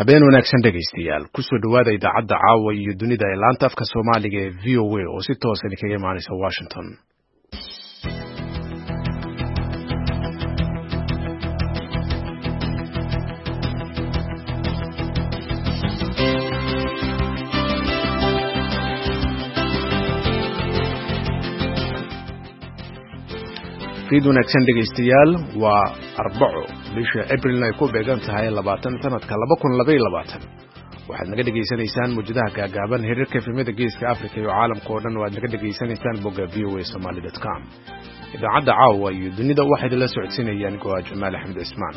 Habeen wanaagsan dhegaystayaal, kusoo dhowaada idaacadda caawa iyo dunida ee laanta afka Soomaaliga ee VOA oo si toosan idinkaga imaanaysa Washington. Fiid wanaagsan dhegaystayaal, waa Arbaco, bisha Abrilna ay ku beegan tahay 20 sanadka 2022. Waxaad naga dhegaysanaysaan mawjadaha gaagaaban, xiriirka efemyada Geeska Africa iyo caalamka oo dhan waad naga dhegaysanaysaan bogga voasomali.com. Idaacadda caawa iyo dunida waxaa idinla socodsiinaya anigoo ah Jamaal Axmed Cismaan.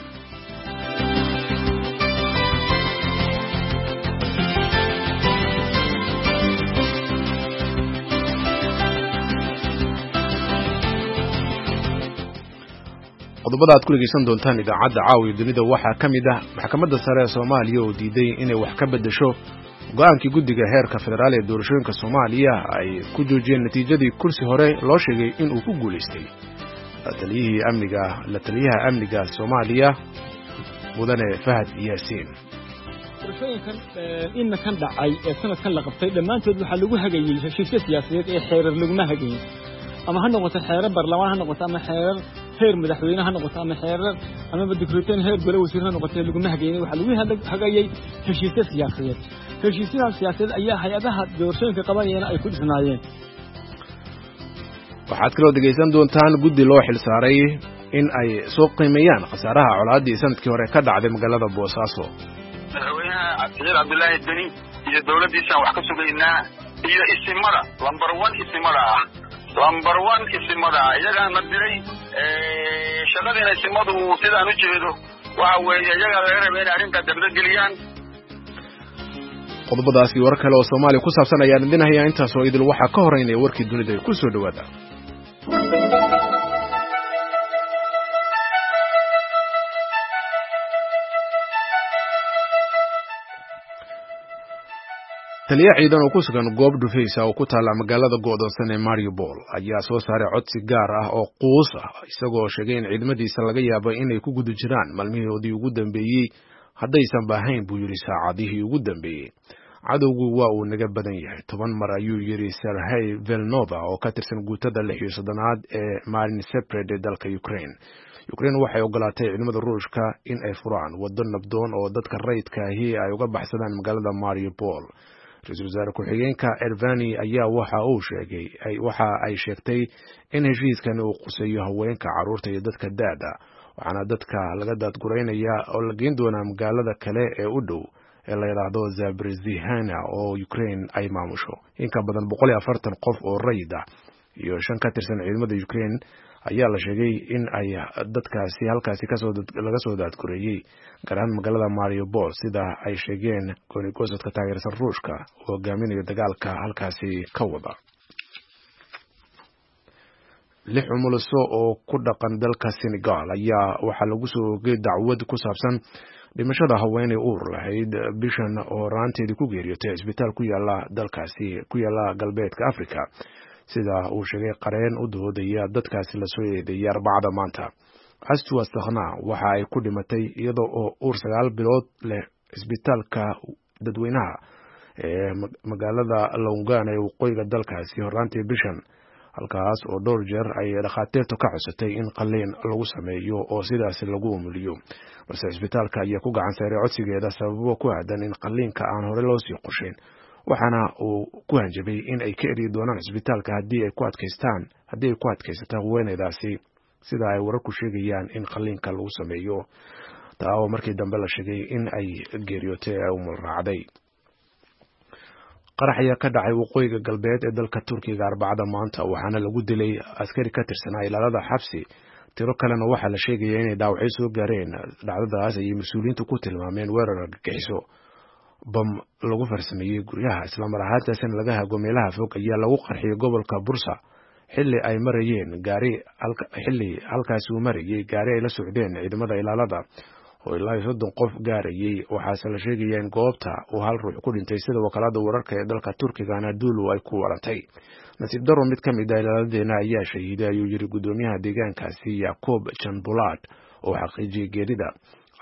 Qodobada aad ku dhegaysan doontaan idaacadda caawiya dunida waxaa ka mid ah maxkamadda sare ee Soomaaliya oo diiday inay wax ka beddesho go'aankii guddiga heerka federaal ee doorashooyinka Soomaaliya ay ku joojiyeen natiijadii kursi hore loo sheegay inuu ku guulaystay la taliyaha amniga Soomaaliya Mudane Fahad Yaasiin. Doorashooyinkan iminkan dhacay ee sanadkan la qabtay dhammaantood waxaa lagu hagayey heshiisyo siyaasadeed ee xeerar laguma hagayin, ama ha noqoto xeerar baarlamaan ha noqoto, ama xeerar heer madaxweyne ha noqoto, ama xeerar amaba dikreeteen heer gole wasiir ha noqoto, laguma hagayin. Waxaa lagu hagayey heshiisyo siyaasadeed. Heshiisyadaas siyaasadeed ayaa hay-adaha doorashooyinka qabanayana ay ku dhisnaayeen. Waxaad kaloo dhegaysan doontaan guddi loo xilsaaray in ay soo qiimeeyaan khasaaraha colaaddii sanadkii hore ka dhacday magaalada Boosaaso. Madaxweynaha Cabdixil Cabdilaahi Deni iyo dowladdiisaan wax ka sugaynaa iyo isimada lambar one, isimada ah lambar one, isimada ah iyagaana diray shaqadiina. Isimadu sidaan u jeedo waxa weeye iyagaa laga raba inay arrintaa dabdageliyaan. Qodobadaasi warar kale oo Soomaaliya ku saabsan ayaan idin hayaa. Intaas oo idil waxaa ka horeynaya warkii dunida. Ku soo dhowaada. Taliya ciidan oo ku sugan goob dhufaysa oo ku taalla magaalada go'doonsan ee Mariupol ayaa soo saaray codsi gaar ah oo quus ah, isagoo sheegay in ciidamadiisa laga yaabo inay ku guda jiraan maalmihoodii ugu dambeeyey, haddaysan baahayn buu yidhi saacadihii ugu dambeeyey. Cadowgu waa uu naga badan yahay 10 mar, ayuu yidhi Serhey Velnova oo ka tirsan guutada 36aad ee Marin Sepred ee dalka Ukraine. Ukraine waxay ogolaatay ciidamada Ruushka in ay furaan waddo nabdoon oo dadka rayidka ahi ay uga baxsadaan magaalada Mariupol. Ra-iisul wasaare ku-xigeenka Ervani ayaa waxa uu sheegay, waxa ay sheegtay in heshiiskani uu quseeyo haweenka, carruurta iyo dadka da'da, waxaana dadka laga daadguraynaya oo la geyn doonaa magaalada kale ee u dhow ee la yidhaahdo Zabrizihana oo Ukraine ay maamusho. In ka badan 140 qof oo rayid ah iyo 5 ka tirsan ciidamada Ukraine ayaa la sheegay in ay dadkaasi halkaasi laga soo daadgureeyey, gaar ahaan magaalada Mariupol, sida ay sheegeen goonigosadka taageersan Ruushka oo hogaaminayo dagaalka halkaasi ka wada. Lix umuliso oo ku dhaqan dalka Senegal ayaa waxaa lagu soo ogay dacwad ku saabsan dhimashada haweeney uur lahayd bishan oo raanteedii ku geeriyootay cisbitaal ku yaala dalkaasi ku yaala galbeedka Africa, sida uu sheegay qareen u doodaya dadkaasi lasoo eedeeyay Arbacada maanta. Astua Sakhna waxa ay ku dhimatay iyada oo uur 9 bilood leh cisbitaalka dadweynaha ee magaalada Longan ee waqooyiga dalkaasi horraantii bishan, halkaas oo dhowr jeer ay dhakhaatiirtu ka codsatay in qalliin lagu sameeyo oo sidaasi lagu umuliyo, balse cisbitaalka ayaa ku gacan saaray codsigeeda sababo ku aadan in qalliinka aan hore loo sii qorshayn, waxaana uu ku hanjabay in ay ka eryi doonaan cisbitaalka haddii ay ku adkaystaan, haddii ay ku adkaysato haweeneydaasi sida ay wararku sheegayaan in qalliinka lagu sameeyo, taa oo markii dambe la sheegay in ay geeriyootay ee umul raacday. Qarax ayaa ka dhacay waqooyiga galbeed ee dalka Turkiga Arbacada maanta, waxaana lagu dilay askari ka tirsanaa ilaalada xabsi, tiro kalena waxaa la sheegaya inay dhaawacyo soo gaareen. Dhacdadaas ayay mas-uuliyiintu ku tilmaameen weerar argagixiso. Bam lagu farsameeyey guryaha islamar ahaantaasina laga hago meelaha fog ayaa lagu qarxiyey gobolka Bursa xilli ay marayeen gaari, xilli halkaasi uu marayey gaari ay la socdeen ciidamada ilaalada oo ilaa iyo 30 qof gaarayey. Waxaase la sheegaya in goobta uu hal ruux ku dhintay, sida wakaalada wararka ee dalka Turkiga Anadolu ay ku warantay. Nasiib daro, mid ka mid ah ilaaladeena ayaa shahiiday, ayuu yidhi guddoomiyaha deegaankaasi Yacob Janbulad oo xaqiijiyey geerida.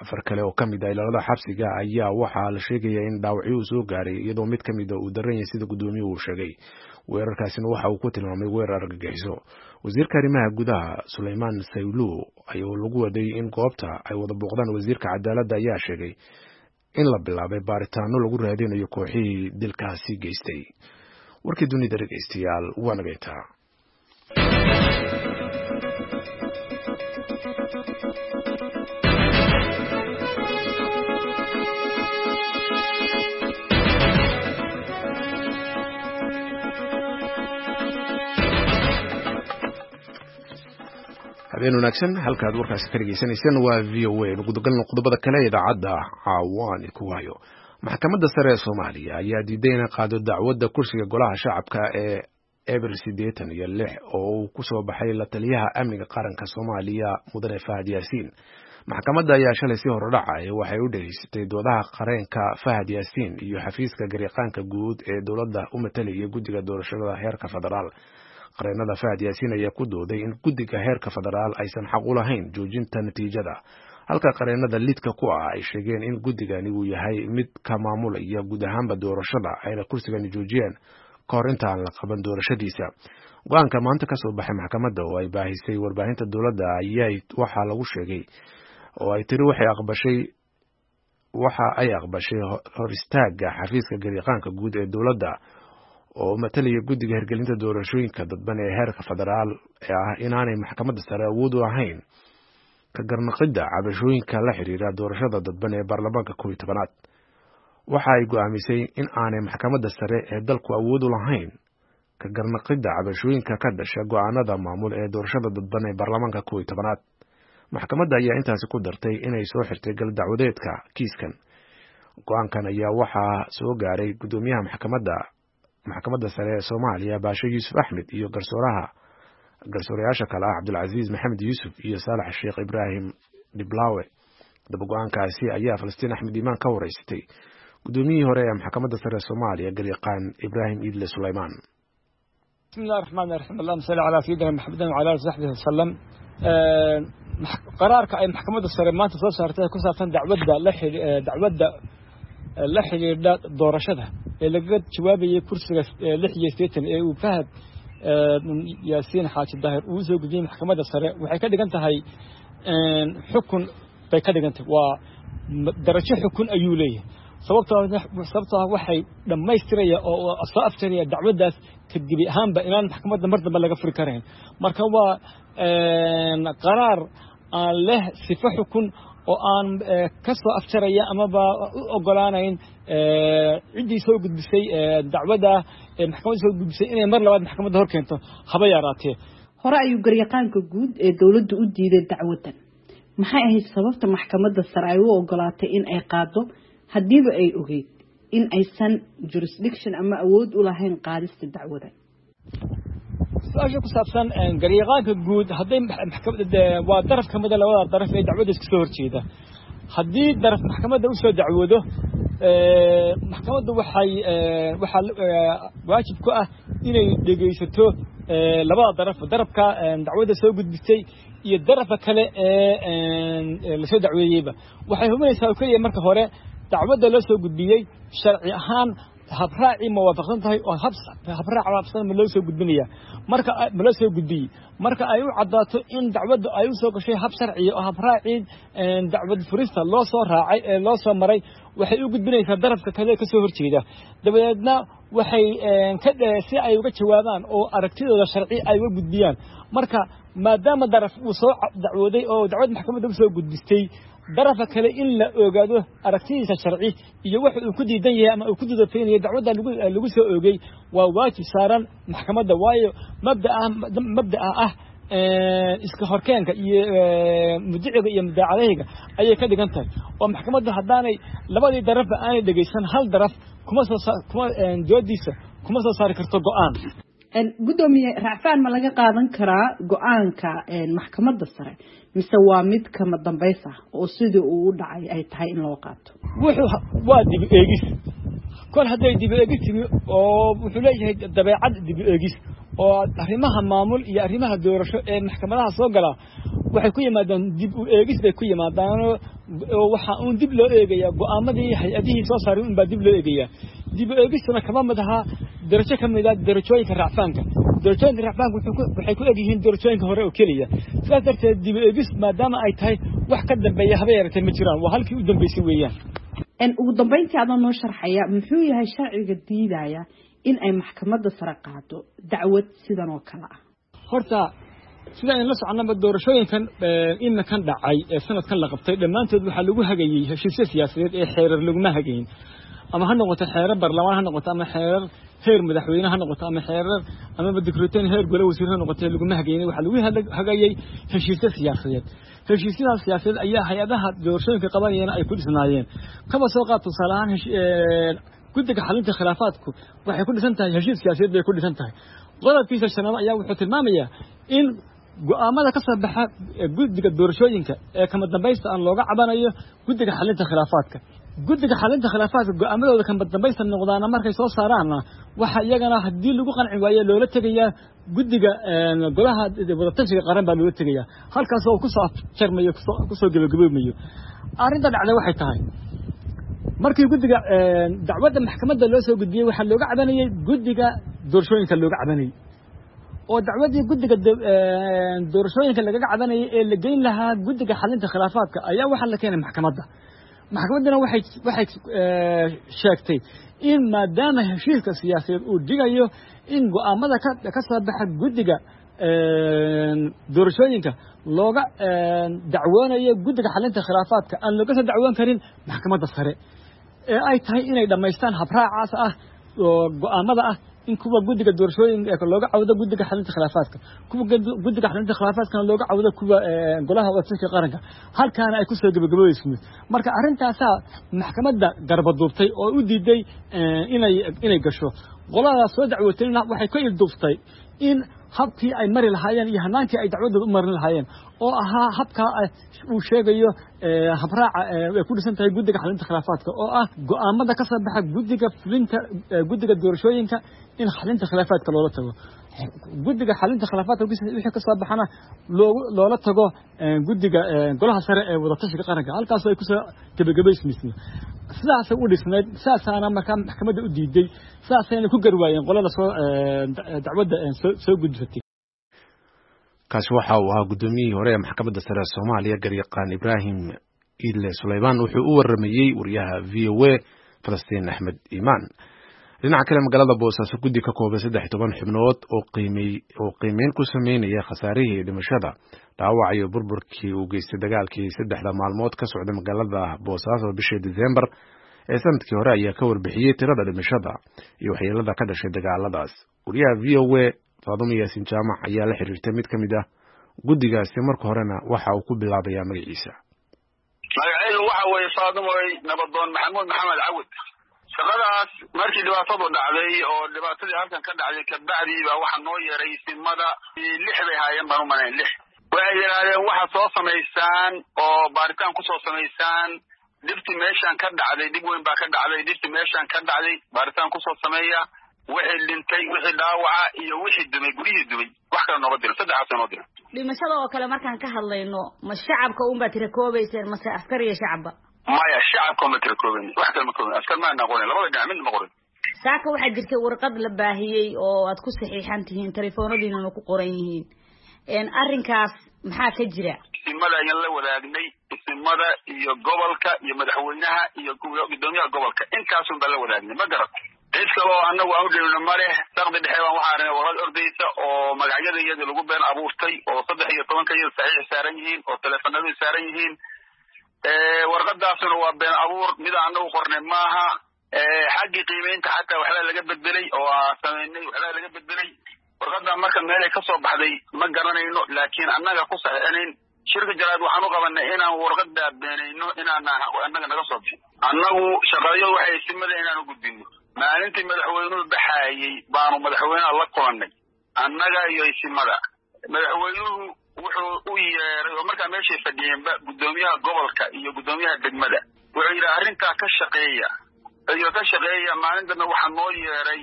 Afar kale oo ka mid ah ilaalada xabsiga ayaa waxaa la sheegayaa in dhaawacyo uu soo gaaray, iyadoo mid ka mid a uu daran yahay, sida guddoomiyuhu uu sheegay. Weerarkaasina waxa uu ku tilmaamay weerar argagixiso. Wasiirka arrimaha gudaha Suleymaan Saylu ayuu lagu waday in goobta ay wada booqdaan wasiirka cadaaladda ayaa sheegay in la bilaabay baaritaano lagu raadinayo kooxihii dilkaasi geystay. Warkii dunida dhegeystayaal waa nageyntaa. Habeen wanaagsan, halkaad warkaasi ka dhegeysanayseen waa VOA. Gudagalna qodobada kale ee idaacadda caawaan ku hayo. Maxkamadda sare ee Soomaaliya ayaa diiday inay qaado dacwadda kursiga golaha shacabka ee eber 86 oo uu ku soo baxay la taliyaha amniga qaranka Soomaaliya mudane Fahad Yaasiin. Maxkamadda ayaa shalay si horodhacay waxay u dhegeysatay doodaha qareenka Fahad Yaasiin iyo xafiiska gariiqaanka guud ee dowladda u matalaya guddiga doorashada heerka federaal. Qareenada Fahad Yaasiin ayaa ku dooday in guddiga heerka federaal aysan xaq u lahayn joojinta natiijada, halka qareenada lidka ku ah ay sheegeen in guddigani uu yahay mid ka maamulaya guud ahaanba doorashada, ayna kursigani joojiyeen ka hor inta aan la qaban doorashadiisa. Go-aanka maanta ka soo baxay maxkamadda oo ay baahisay warbaahinta dowladda ayaa waxaa lagu sheegay oo ay tiri waxay aqbashay waxa ay aqbashay hor istaagga xafiiska gariiqaanka guud ee dowladda oo matalaya guddiga hirgelinta doorashooyinka dadban ee heerka federaal ee ah inaanay maxkamadda sare awood u ahayn ka garnaqidda cabashooyinka la xiriira doorashada dadban ee baarlamaanka 11aad. Waxa ay go'aamisay in aanay maxkamadda sare ee dalku awood u lahayn ka garnaqidda cabashooyinka ka dhasha go'aanada maamul ee doorashada dadban ee baarlamaanka 11aad. Maxkamadda ayaa intaasi ku dartay inay soo xirtay gal dacwadeedka kiiskan. Go-aankan ayaa waxaa soo gaaray guddoomiyaha maxkamadda sare ee Soomaaliya Baashe Yuusuf Axmed iyo garsoorayaasha kale ah Cabdulcasiis Maxamed Yuusuf iyo Saalax Sheekh Ibraahim Dhiblaawe. Daba go-aankaasi ayaa Falastiin Axmed Iimaan ka wareysatay guddoomiyihii hore ee maxkamadda sare ee Soomaaliya garyaqaan Ibraahim Iidle Suleymaan. Bismillahi raxmaani raxiim, allahuma salli calaa sayidina maxamedin wacala ali saxbihi wasalam. Qaraarka ay maxkamadda sare maanta soo saartay ku saabsan dacwadda la xidhiidha doorashada ee lagaga jawaabayay kursiga 86 ee uu Fahad Yaasiin Xaaji Daahir uu soo gudbiyey maxkamadda sare waxay ka dhigan tahay xukun bay ka dhigan tahay, waa darajo xukun ayuu leeyahay. Sababtoo waxay dhammaystiraya oo soo afjaraya dacwaddaas kadgebi ahaanba inaan maxkamadda mar dambe laga furi karayn. Marka waa qaraar aan leh sifo xukun oo aan ka soo afjaraya amaba u ogolaanayn ciddii soo gudbisay dacwadda ee maxkamadda soo gudbisay inay mar labaad maxkamadda hor keento haba yaraatee. Hore ayuu garyaqaanka guud ee dowladdu u diiday dacwaddan. Maxay ahayd sababta maxkamadda sare ay u ogolaatay in ay qaado haddiiba ay ogeyd in aysan jurisdiction ama awood u lahayn qaadista dacwada? Su-aasha ku saabsan garyaqaanka guud hadday maxkamadda waa daraf ka mida labada daraf ee dacwadda iska soo horjeeda. Haddii daraf maxkamadda u soo dacwoodo, maxkamaddu waxay waxaa waajib ku ah inay dhegaysato labada daraf, darafka dacwadda soo gudbisay iyo darafka kale ee lasoo dacweeyeyba. Waxay hubinaysaa oo keliya marka hore dacwadda loo soo gudbiyey sharci ahaan habraacii ma waafaqsan tahay oo habraac waafaqsan ma loo soo gudbinaya, marka ma loo soo gudbiyey. Marka ay u caddaato in dacwaddu ay u soo gashay hab sharciya oo habraacii dacwad furista loo soo raacay ee loo soo maray, waxay u gudbinaysaa darafka kale ka soo horjeeda. Dabadeedna waxay si ay uga jawaabaan oo aragtidooda sharci ay uga gudbiyaan. Marka maadaama daraf uu soo dacwooday oo dacwad maxkamadda u soo gudbistay, darafa kale in la ogaado aragtidiisa sharci iyo waxa uu ku diidan yahay ama uu ku dudafaynayo dacwadda lagu soo oogay waa waajib saaran maxkamadda. Waayo mabda'a ah iska horkeenka iyo mudiciga iyo mudaacadahayga ayay ka dhigan tahay, oo maxkamaddu haddaanay labadii darafba aanay dhegaysan hal daraf kuma soo kuma doodiisa kuma soo saari karto go'aan. Guddoomiye, racfaan ma laga qaadan karaa go-aanka maxkamadda sare mise waa mid kama dambays ah oo sidii uu u dhacay ay tahay in loo qaato? Wuxuu waa dib eegis. Kol hadday dib eegis timi oo wuxuu leeyahay dabeecad dib eegis Oo arrimaha maamul iyo arrimaha doorasho ee maxkamadaha soo gala waxay ku yimaadaan dib u eegis bay ku yimaadaan, oo waxa uun dib loo eegayaa go'aamadii hay-adihii soo saaray unbaa dib loo eegayaa. Dib u eegistuna kama mid ahaa darajo ka mid ah darajooyinka racfaanka. Darajooyinka racfaanka waxay ku egyihiin darajooyinka hore oo keliya. Sidaas darteed dib u eegis maadaama ay tahay, wax ka dambeeya haba yaratee ma jiraan, waa halkii u dambeysay weeyaan. Ugu dambeyntii, adoo noo sharxaya, muxuu yahay sharciga diidaya in ay maxkamadda sare qaado dacwad sidan oo kale ah? Horta sida aynu la soconaba, doorashooyinkan iminkan dhacay ee sanadkan la qabtay dhammaantood waxaa lagu hagayey heshiisyo siyaasadeed ee xeerar laguma hagayn. Ama ha noqoto xeerar barlamaan ha noqoto, ama xeerar heer madaxweyne ha noqoto, ama xeerar amaba dikreeteen heer gole wasiir ha noqoto, laguma hagayn. Waxaa lagu hagayey heshiisyo siyaasadeed. Heshiisyadaas siyaasadeed ayaa hay-adaha doorashooyinka qabanayana ay ku dhisnaayeen. Kaba soo qaad tusaale ahaan, guddiga xalinta khilaafaadku waxay ku dhisan tahay heshiis siyaasadeed bay ku dhisan tahay. Qodobkiisa shanaad ayaa wuxuu tilmaamayaa in go'aamada ka soo baxa guddiga doorashooyinka ee kama dambaysta aan looga cabanayo guddiga xalinta khilaafaadka. Guddiga xalinta khilaafaadka go'aamadooda kama dambaysta noqdaana markay soo saaraanna, waxa iyagana haddii lagu qanci waayo loola tegayaa guddiga golaha wadatashiga qaran baa loola tegayaa, halkaas oo kusoo afjarmayo, kusoo gebagaboomayo. Arrinta dhacday waxay tahay, markii guddiga dacwadda maxkamadda loo soo gudbiyey, waxaa looga cabanayey guddiga doorashooyinka looga cabanayey, oo dacwaddii guddiga doorashooyinka lagaga cabanayay ee la geyn lahaa guddiga xalinta khilaafaadka ayaa waxaa la keenay maxkamadda. Maxkamadduna waxay sheegtay in maadaama heshiiska siyaasadeed uu dhigayo in go'aamada ka soo baxa guddiga doorashooyinka looga dacwoonayo guddiga xalinta khilaafaadka, aan looga soo dacwoon karin maxkamadda sare, ee ay tahay inay dhammaystaan habraacaas ah oo go'aamada ah in kuwa guddiga doorashooyinka looga cawdo guddiga xalinta khilaafaadka, kuwa guddiga xalinta khilaafaadkana looga cawdo kuwa golaha wadatashiga qaranka, halkaana ay kusoo gebagaboobeyso. Marka arrintaasaa maxkamadda garbaduubtay oo u diiday inay gasho. Qoladaas soo dacwootayna waxay ka ilduuftay in habkii ay mari lahaayeen iyo hanaankii ay dacwadooda u marin lahaayeen oo ahaa habkaa uu sheegayo habraaca ay ku dhisan tahay guddiga xalinta khilaafaadka, oo ah go'aamada ka soo baxa guddiga fulinta guddiga doorashooyinka in xalinta khilaafaadka loola tago, guddiga xalinta khilaafaadka wixii ka soo baxana loola tago guddiga golaha sare ee wadatashiga qaranka, halkaasoo ay kusoo gebagabaysmayso. Sidaasay u dhisnayd, sidaasaana markaa maxkamadda u diiday, sidaasayna ku garwaayeen qolada soo dacwadda soo gudbisatay. Kaasi waxa uu ahaa guddoomiyihii hore ee maxkamadda sare ee Soomaaliya, garyaqaan Ibraahim Iidle Sulaymaan. Wuxuu u waramayey wariyaha VOA Falastiin Axmed Iimaan. Dhinaca kale, magaalada Boosaaso guddi ka kooban 13 xubnood oo qiimeyn ku sameynaya khasaarihii dhimashada, dhaawac iyo burburkii uu geystay dagaalkii 3da maalmood ka socda magaalada Boosaaso bishii Disembar ee sanadkii hore ayaa ka warbixiyey tirada dhimashada iyo waxyeelada ka dhashay dagaaladaas. Wariyaha VOA Faadumo Yaasin Jaamac ayaa la xiriirtay mid ka mid ah guddigaasi, marka horena waxa uu ku bilaabayaa magaciisa. Magacaygu waxa weeye, Faadumoy, Nabadoon Maxamuud Maxamed Cawid. Shaqadaas markii dhibaatadu dhacday oo dhibaatadii halkan ka dhacday kabacdii baa waxaa noo yeeray simada. Lix bay haayeen baan u malayn, lix. Waxay yidhaahdeen waxaad soo samaysaan oo baaritaan kusoo samaysaan dhibti meeshaan ka dhacday, dhib weyn baa ka dhacday, dhibti meeshaan ka dhacday baaritaan kusoo sameeya, wixii dhintay, wixii dhaawaca iyo wixii dumay, guryihii dumay. Wax kale nooma dirin, saddexaas noo dirin. Dhimashada oo kale markaan ka hadlayno, ma shacabka unbaa tira koobayseen mase askar iyo shacabba? Maya, shacabka uma tira koobayn, wax kale ma koobayn, askar maana qorin, labada dhinac midna ma qorin. Saaka waxaa jirtay warqad la baahiyey oo aad ku saxiixan tihiin, telefoonadiinana ku qoran yihiin. Arrinkaas maxaa ka jira? Isimada ayaan la wadaagnay, isimada iyo gobolka iyo madaxweynaha iyo guddoomiyaha gobolka, intaasun baan la wadaagnay, ma garat? Cid kale oo annagu aan u dhibno ma leh. Saqdi dhexe baan waxaa aragnay warqad ordaysa oo magacyada iyadii lagu been abuurtay, oo 13ka iyada saxiix saaran yihiin oo teleefanadu saaran yihiin. Warqadaasuna waa been abuur, mida annagu qornay maaha. Xaggii qiimeynta xataa waxbaa laga beddelay oo aa samaynay, waxbaa laga beddelay warqadda. Marka meelay ka soo baxday ma garanayno, laakiin annaga ku saxiixinayn. Shirka jaraad waxaan u qabanay inaan warqadaa beenayno, inaana annaga naga soo bixin. Annagu shaqadayadu waxay simada inaan u gudbino. Maalintii madaxweynuhu baxaayey baanu madaxweynaha la kulannay, annaga iyo isimada. Madaxweynuhu wuxuu u yeeray oo markaa meeshay fadhiyeenba guddoomiyaha gobolka iyo guddoomiyaha degmada. Wuxuu yidhi arrintaa ka shaqeeya iyo ka shaqeeya. Maalin dambe waxaa noo yeeray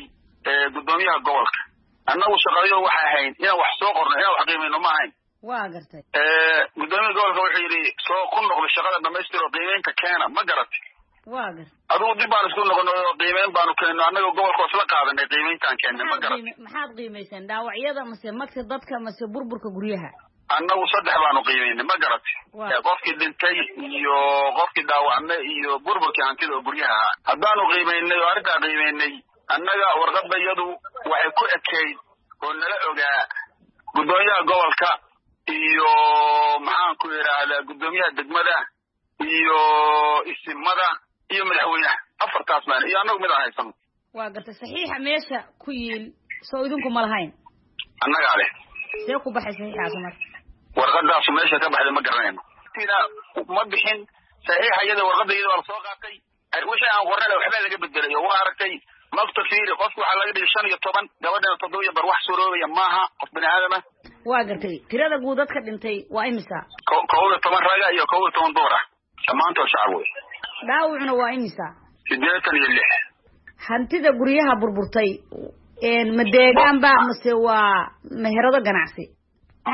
guddoomiyaha gobolka. Annagu shaqadayo waxay ahayn inaan wax soo qorno, inaan wax qiimayno ma ahayn. Waa gartay. Gudoomiya gobolka wuxuu yidhi soo ku noqdo shaqada dhamaystir oo qiimeynta keena, ma garatay? Waa gartay. Adigu dib baan isku noqono oo qiimeyn baanu keenno, annaga gobolka isla qaadanay qiimeyntaan keennay, ma garatay? Maxaad qiimayseen? Dhaawacyada mase magta dadka mase burburka guryaha? Annagu saddex baanu qiimeynay, ma garatay? Qofkii dhintay iyo qofkii dhaawacmay iyo burburkii hantida oo guryaha ahaa haddaanu qiimeynay oo arrintaa qiimeynay. Annaga warqadda iyadu waxay ku ekeyd oo nala ogaa guddoomiyaha gobolka iyo maxaan ku yidhaahdaa guddoomiyaha degmada iyo isimada iyo madaxweynaha, afartaas maan iyo annagu mid aan haysano. Waa gartay. Saxiixa meesha ku yiil soo idinku ma lahayn? Annagaa leh. See ku baxay saxiixaas marka? Warqadaasu meesha ka baxday ma garanayno, ma bixin saxiixa iyada, warqadda iyada waa lasoo qaatay. Wixii aan qornay waxbaa laga bedelay oo waa aragtay magta fiiri, qofki waxaa laga dhigay 15, gabadhana 7.5, wax suuroobaya maaha qof bini aadama. Waa gartay. Tirada guud dadka dhintay waa imisa? 11 raga iyo 11 dumar ah, dhammaantood shacab wey. Dhaawacuna waa imisa? 86. Hantida guryaha burburtay ma deegaan ba mase waa meherado ganacsi?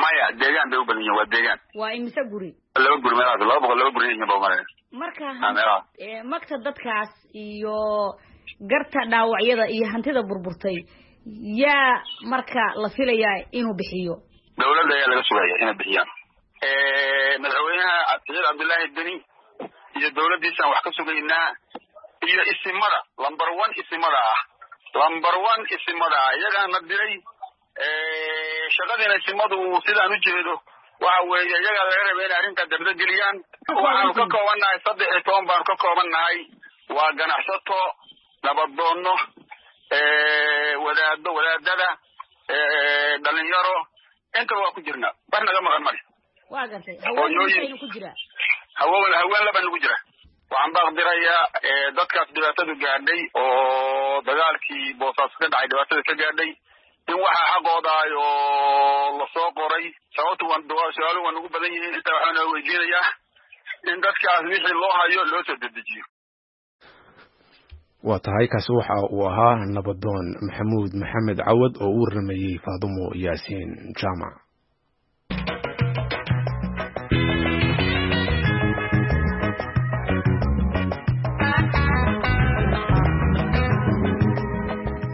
Maya, deegaan bay u badan yihin, waa deegaan. Waa imise guri? Laba guri meelahaas, 200 laba guri yihiin ba umalaya. Marka magta dadkaas iyo garta dhaawacyada iyo hantida burburtay yaa marka la filayaa inuu bixiyo? Dawladda ayaa laga sugaya inay bixiyaan. Madaxweynaha Saciid Cabdullaahi Deni iyo dawladdiisaan wax ka sugaynaa iyo isimada, number one isimada ah, number one isimada ah, iyagaana diray shaqadiina. Isimadu sidaan u jeedo waxa weeye iyagaa laga rabay inay arrintaa dabda geliyaan. Waxaanu ka kooban nahay 13 baanu ka kooban nahay, waa ganacsato, nabaddoonno, wadaado, wadaadada, dhalinyaro, intaba waa ku jirnaa, wax naga maqan male. Waa gartay. Haween ku jira? Haween, haween laba nagu jira. Waxaan baaqdirayaa dadkaas dhibaatadu gaadhay oo dagaalkii Boosaaso ka dhacay dhibaatada ka gaadhay in waxaa xaqoodaay oo lasoo qoray, sababtu su-aaluhu waa nagu badan yihiin, intaa waxaa noo weydiinayaa in dadkaas wixii loo hayo loo soo dedejiyo. Waa tahay. Kaasi waxa uu ahaa nabadoon Maxamuud Maxamed Cawad oo u warramayey Faadumo Yaasiin Jaamac.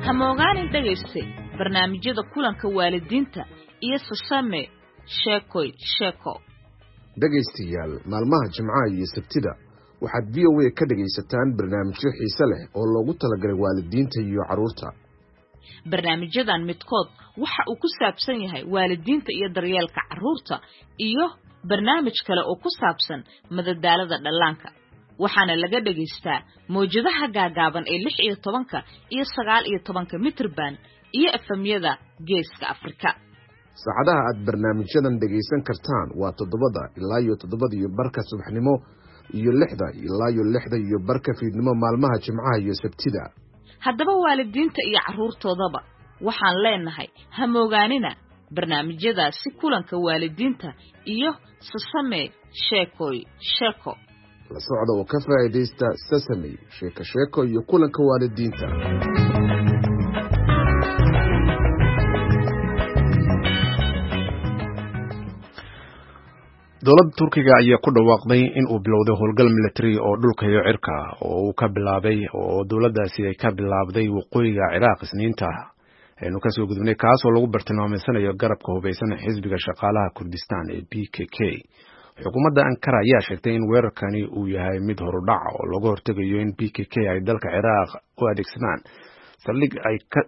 Hamoogaanin dhegayste barnaamijyada kulanka waalidiinta iyo Sasame Sheekoy Sheeko. Dhegaystayaal, maalmaha Jimcaha iyo Sabtida waxaad VOA ka dhegaysataan barnaamijyo xiise leh oo loogu talagalay waalidiinta iyo carruurta. Barnaamijyadan midkood waxa uu ku saabsan yahay waalidiinta iyo daryeelka carruurta iyo barnaamij kale oo ku saabsan madadaalada dhallaanka, waxaana laga dhagaystaa mawjadaha gaagaaban ee 16-ka iyo 19-ka mitrban iyo efemyada Geeska Afrika. Saacadaha aad barnaamijyadan dhegaysan kartaan waa 7-da ilaa iyo 7:30 subaxnimo iyo 6-da ilaa iyo 6:30 fiidnimo maalmaha Jimcaha iyo Sabtida. Haddaba waalidiinta iyo carruurtoodaba waxaan leenahay hamoogaanina barnaamijyadaasi kulanka waalidiinta iyo Sasame Sheekoy Sheeko. La socda oo ka faa'iidaysta Sesame Sheeko Sheeko iyo kulanka waalidiinta. Dowladda Turkiga ayaa ku dhawaaqday in uu bilowday howlgal military oo dhulka iyo cirka oo uu ka bilaabay oo dowladdaasi ay ka bilaabday waqooyiga Ciraaq Isniinta aynu kasoo gudubnay, kaasoo lagu bartilmaameysanayo garabka hubeysan xisbiga shaqaalaha Kurdistan ee PKK. Xukuumadda Ankara ayaa sheegtay in weerarkani uu yahay mid horudhac oo looga hortegayo in PKK ay dalka Ciraaq u adeegsadaan saldhig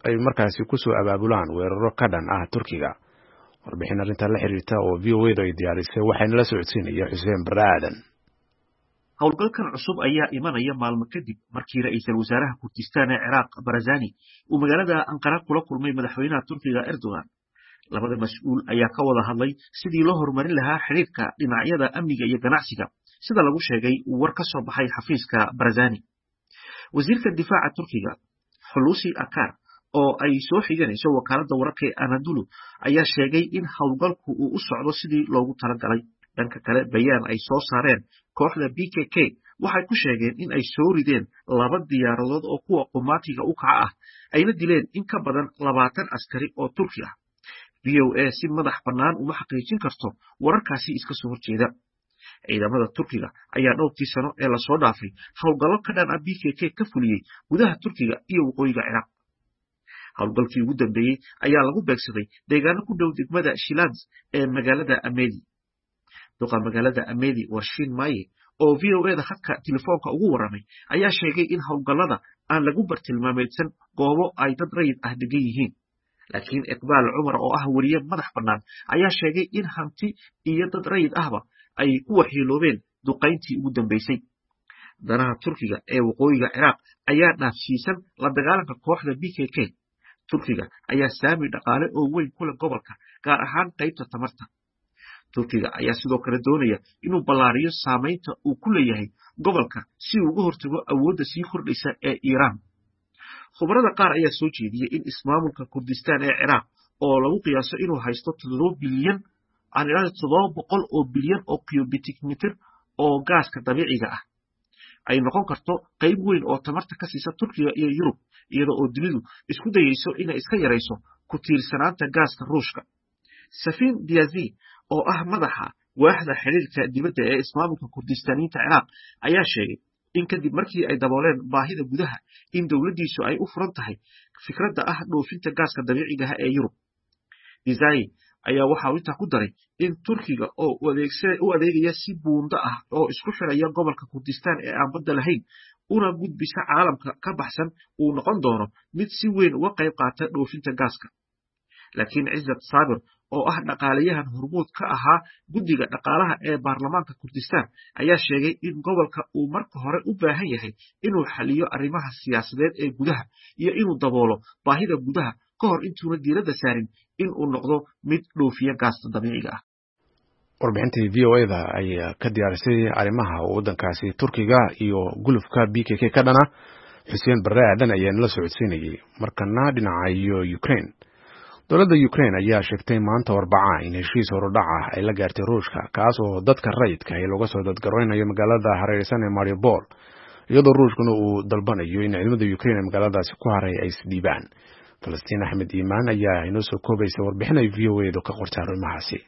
ay markaasi kusoo abaabulaan weeraro ka dhan ah Turkiga. Warbixin arrintaa la xiriirta oo VOA da ay diyaarisay waxayna la socodsiinaya Xuseen Barre Aadan. Howlgalkan cusub ayaa imanaya maalmo kadib markii ra'iisul wasaaraha Kurdistan ee Ciraaq Barazani uu magaalada Anqara kula kulmay madaxweynaha Turkiga Erdogan. Labada mas-uul ayaa ka wada hadlay sidii loo horumarin lahaa xidhiirka dhinacyada amniga iyo ganacsiga, sida lagu sheegay war ka soo baxay xafiiska Barazani. Wasiirka difaaca Turkiga Hulusi Akar oo ay soo xiganayso wakaaladda wararka ee Anadolu ayaa sheegay in howlgalku uu u socdo sidii loogu talagalay. Dhanka kale, bayaan ay soo saareen kooxda PKK waxay ku sheegeen in ay soo rideen laba diyaaradood oo kuwa qumaatiga u kaca ah, Ayna dileen in ka badan 20 askari oo Turki ah. VOA si madax bannaan uma xaqiijin karto wararkaasi iska soo horjeeda. Ciidamada Turkiga ayaa dhowrkii sano ee lasoo dhaafay howlgallo ka dhan ah PKK ka fuliyey gudaha Turkiga iyo waqooyiga Ciraaq. Howlgalkii ugu dambeeyey ayaa lagu beegsaday deegaano ku dhow degmada Shilanz ee magaalada Amedi. Duqa magaalada Amedi Warshin Maye oo VOA-da khadka telefoonka ugu warramay ayaa sheegay in howlgallada aan lagu bartilmaameedsan goobo ay dad rayid ah degan yihiin. Laakiin Iqbaal Cumar oo ah weriye madax bannaan ayaa sheegay in hanti iyo dad rayid ahba ay ku waxyeeloobeen duqayntii ugu dambeysay. Danaha Turkiga ee waqooyiga Ciraaq ayaa dhaafsiisan la dagaalanka kooxda PKK. Turkiga ayaa saami dhaqaale oo weyn ku leh gobolka, gaar ahaan qaybta tamarta. Turkiga ayaa sidoo kale doonaya inuu ballaariyo saamaynta uu ku leeyahay gobolka si uu uga hortago awoodda sii kordhaysa ee Iiraan. Khubarada qaar ayaa soo jeediyey in ismaamulka Kurdistaan ee Ciraaq oo lagu qiyaaso inuu haysto 7 bilyan, aan idhahdo 700 oo bilyan oo cubic mitir oo gaaska dabiiciga ah, ay noqon karto qayb weyn oo tamarta ka siisa Turkiga iyo Yurub, iyada oo dunidu isku dayeyso inay iska yarayso ku tiirsanaanta gaaska Ruushka. Safin Diazi oo ah madaxa waaxda xiriirka dibadda ee ismaamulka Kurdistaaniyiinta Ciraaq ayaa sheegay in kadib markii ay dabooleen baahida gudaha in dowladdiisu ay u furan tahay fikradda ah dhoofinta gaaska dabiiciga ah ee Yurub. Dizayi ayaa waxa uu intaa ku daray in Turkiga oo u adeegaya si buundo ah oo isku xiraya gobolka Kurdistaan ee aan badda lahayn una gudbisa caalamka ka baxsan uu noqon doono mid si weyn uga qayb qaata dhoofinta gaaska. Laakiin Cizat Saabir oo ah dhaqaalayahan hormuud ka ahaa guddiga dhaqaalaha ee baarlamaanka Kurdistaan ayaa sheegay in gobolka uu marka hore u baahan yahay inuu xaliyo arrimaha siyaasadeed ee gudaha iyo inuu daboolo baahida gudaha ka hor intuuna diiradda saarin in uu noqdo mid dhoofiya gaasta dabiiciga ah. Warbixintii VOA-da ayaa ka diyaarisay arrimaha waddankaasi Turkiga iyo gulufka PKK ka dhana. Xuseen Barre Aadan ayaa nala socodsiinayay. Markana dhinaca iyo Ukraine, dowladda Ukraine ayaa sheegtay maanta Arbaca in heshiis horudhac ah ay la gaartay Ruushka, kaas oo dadka rayidka ee looga soo dadgareynayo magaalada hareereysan ee Mariupol, iyadoo Ruushkuna uu dalbanayo in ciidamada Ukraine ee magaaladaasi ku haray ay isdhiibaan. Falastiin Axmed Iimaan ayaa inoo soo koobaysa warbixin ay VOA-du ka qortay arrimahaasi.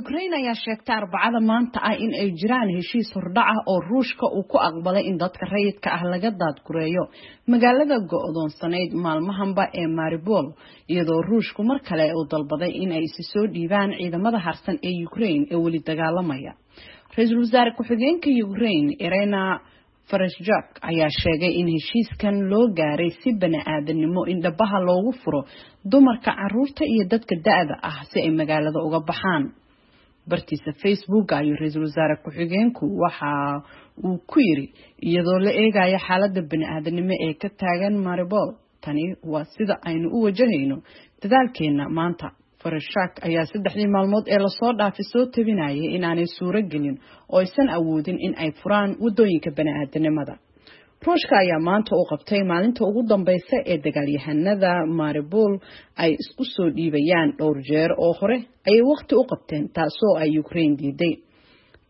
Ukraine ayaa sheegtay Arbacada maanta ah in ay jiraan heshiis hordhac ah oo Ruushka uu ku aqbalay in dadka rayidka ah laga daadgureeyo magaalada go'doonsanayd maalmahanba ee Mariupol, iyadoo Ruushku mar kale uu dalbaday in ay isi soo dhiibaan ciidamada harsan ee Ukraine ee weli dagaalamaya. Ra-iisul wasaare ku-xigeenka Ukraine Irina Vereshchuk ayaa sheegay in heshiiskan loo gaaray si bani-aadamnimo in dhabaha loogu furo dumarka, caruurta iyo dadka da'da ah si ay magaalada uga baxaan. Bartiisa Facebook ayuu ra-iisul wasaare ku-xigeenku waxa uu ku yiri, iyadoo la eegayo xaaladda bani-aadanimo ee ka taagan Mariupol, tani waa sida aynu u wajahayno dadaalkeena maanta. Vereshchuk ayaa saddexdii maalmood ee lasoo dhaafay soo tabinayay inaanay suuro gelin oo aysan awoodin in ay furaan wadooyinka bani-aadanimada. Ruushka ayaa maanta u qabtay maalinta ugu dambeysa ee dagaalyahanada Mariupol ay isku soo dhiibayaan. Dhowr jeer oo hore ayay waqti u qabteen, taasoo ay Ukraine diiday.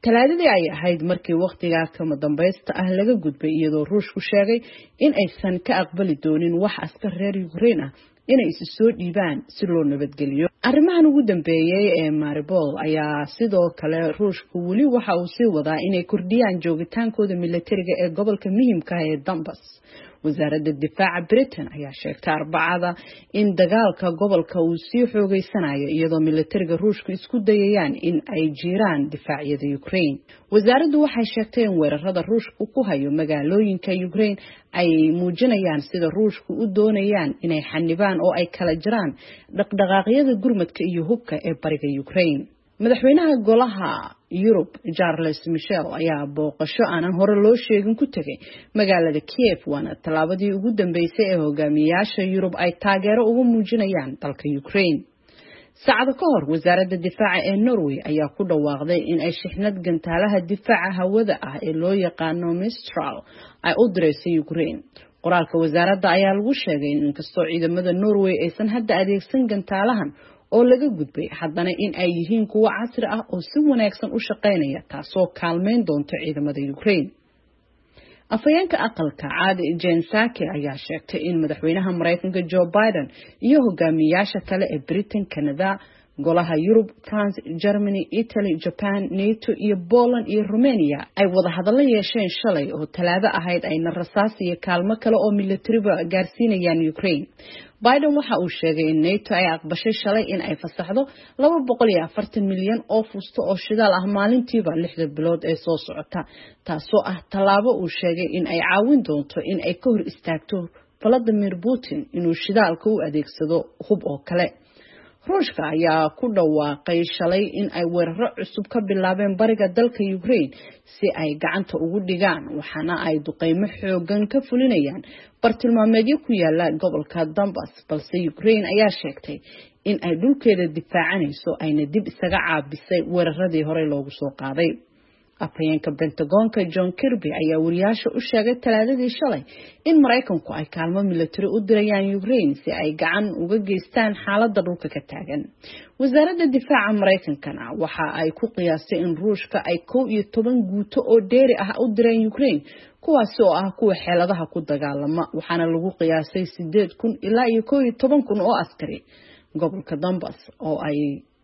Talaadadii ay ahayd markii waqtigaa kama dambaysta ah laga gudbay, iyadoo Ruushku sheegay in aysan ka aqbali doonin wax askar reer Ukraine ah inay isu soo dhiibaan si loo nabadgeliyo. Arrimahan ugu dambeeyay ee Mariupol ayaa sidoo kale Ruushku weli waxa uu sii wadaa inay kordhiyaan joogitaankooda militariga ee gobolka muhiimka ah ee Donbas. Wasaaradda difaaca Britain ayaa sheegtay Arbacada in dagaalka gobolka uu sii xoogeysanayo, iyadoo militariga Ruushku isku dayayaan in ay jiiraan difaacyada Ukraine. Wasaaraddu waxay sheegtay in weerarada Ruushku ku hayo magaalooyinka Ukraine ay muujinayaan sida Ruushku u doonayaan inay xanibaan oo ay kala jiraan dhaqdhaqaaqyada gurmadka iyo hubka ee bariga Ukraine. Madaxweynaha Golaha Yurub Charles Michel ayaa booqasho aanan hore loo sheegin ku tegay magaalada Kiev, waana tallaabadii ugu dambeysay ee hogaamiyayaasha Yurub ay taageero ugu muujinayaan dalka Ukraine. Saacado ka hor, wasaaradda difaaca ee Norway ayaa ku dhawaaqday in ay shixnad gantaalaha difaaca hawada ah ee loo yaqaano Mistral ay u direysay Ukraine. Qoraalka wasaaradda ayaa lagu sheegay in inkastoo ciidamada Norway aysan hadda adeegsan gantaalahan oo laga gudbay, haddana in ay yihiin kuwo casri ah oo si wanaagsan u shaqaynaya, taasoo kaalmeyn doonta ciidamada Ukraine. Afhayeenka aqalka caadi Jen Psaki ayaa sheegtay in madaxweynaha Mareykanka Joe Biden iyo hogaamiyaasha kale ee Britain, Canada, golaha Yurub, France, Germany, Italy, Japan, NATO iyo Poland iyo Romania ay wada hadallo yeesheen shalay oo talaado ahayd, ayna rasaas iyo kaalmo kale oo militariba gaarsiinayaan Ukraine. Biden waxa uu sheegay in NATO ay aqbashay shalay in ay fasaxdo 240 milyan oo fusto oo shidaal ah maalintiiba 6 bilood ee soo socota, taasoo ah tallaabo uu sheegay in ay caawin doonto in ay ka hor istaagto Vladimir Putin inuu shidaalka u adeegsado hub oo kale. Ruushka ayaa ku dhawaaqay shalay in ay weeraro cusub ka bilaabeen bariga dalka Ukraine si ay gacanta ugu dhigaan, waxaana ay duqeymo xoogan ka fulinayaan bartilmaameedyo ku yaala gobolka Donbas, balse Ukraine ayaa sheegtay in ay dhulkeeda difaacanayso ayna dib isaga caabisay weeraradii horey loogu soo qaaday. Afhayeenka Pentagonka John Kirby ayaa wariyaasha u sheegay talaadadii shalay in Mareykanku ay kaalmo militari u dirayaan Ukraine si ay gacan uga geystaan xaaladda dhulka ka taagan. Wasaaradda Difaaca Mareykankana waxa ay ku qiyaastay in Ruushka ay 11 guuto oo dheeri ah u direen Ukraine, kuwaasi oo ah kuwa xeeladaha ku dagaalama, waxaana lagu qiyaasay 8,000 ilaa iyo 11,000 oo askari. Gobolka Donbas oo ay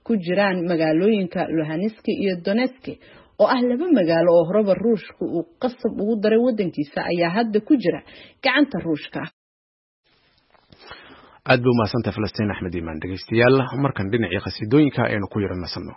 ku jiraan magaalooyinka Luhansk iyo Donetsk oo ah laba magaalo oo horeba Ruushka uu qasab ugu daray wadankiisa ayaa hadda ku jira gacanta Ruushka. Aad bay umahadsantahay Falastiin Axmed Iimaan. Dhegeystayaal, markan dhinacii khasiidooyinka aynu ku yara nasanno.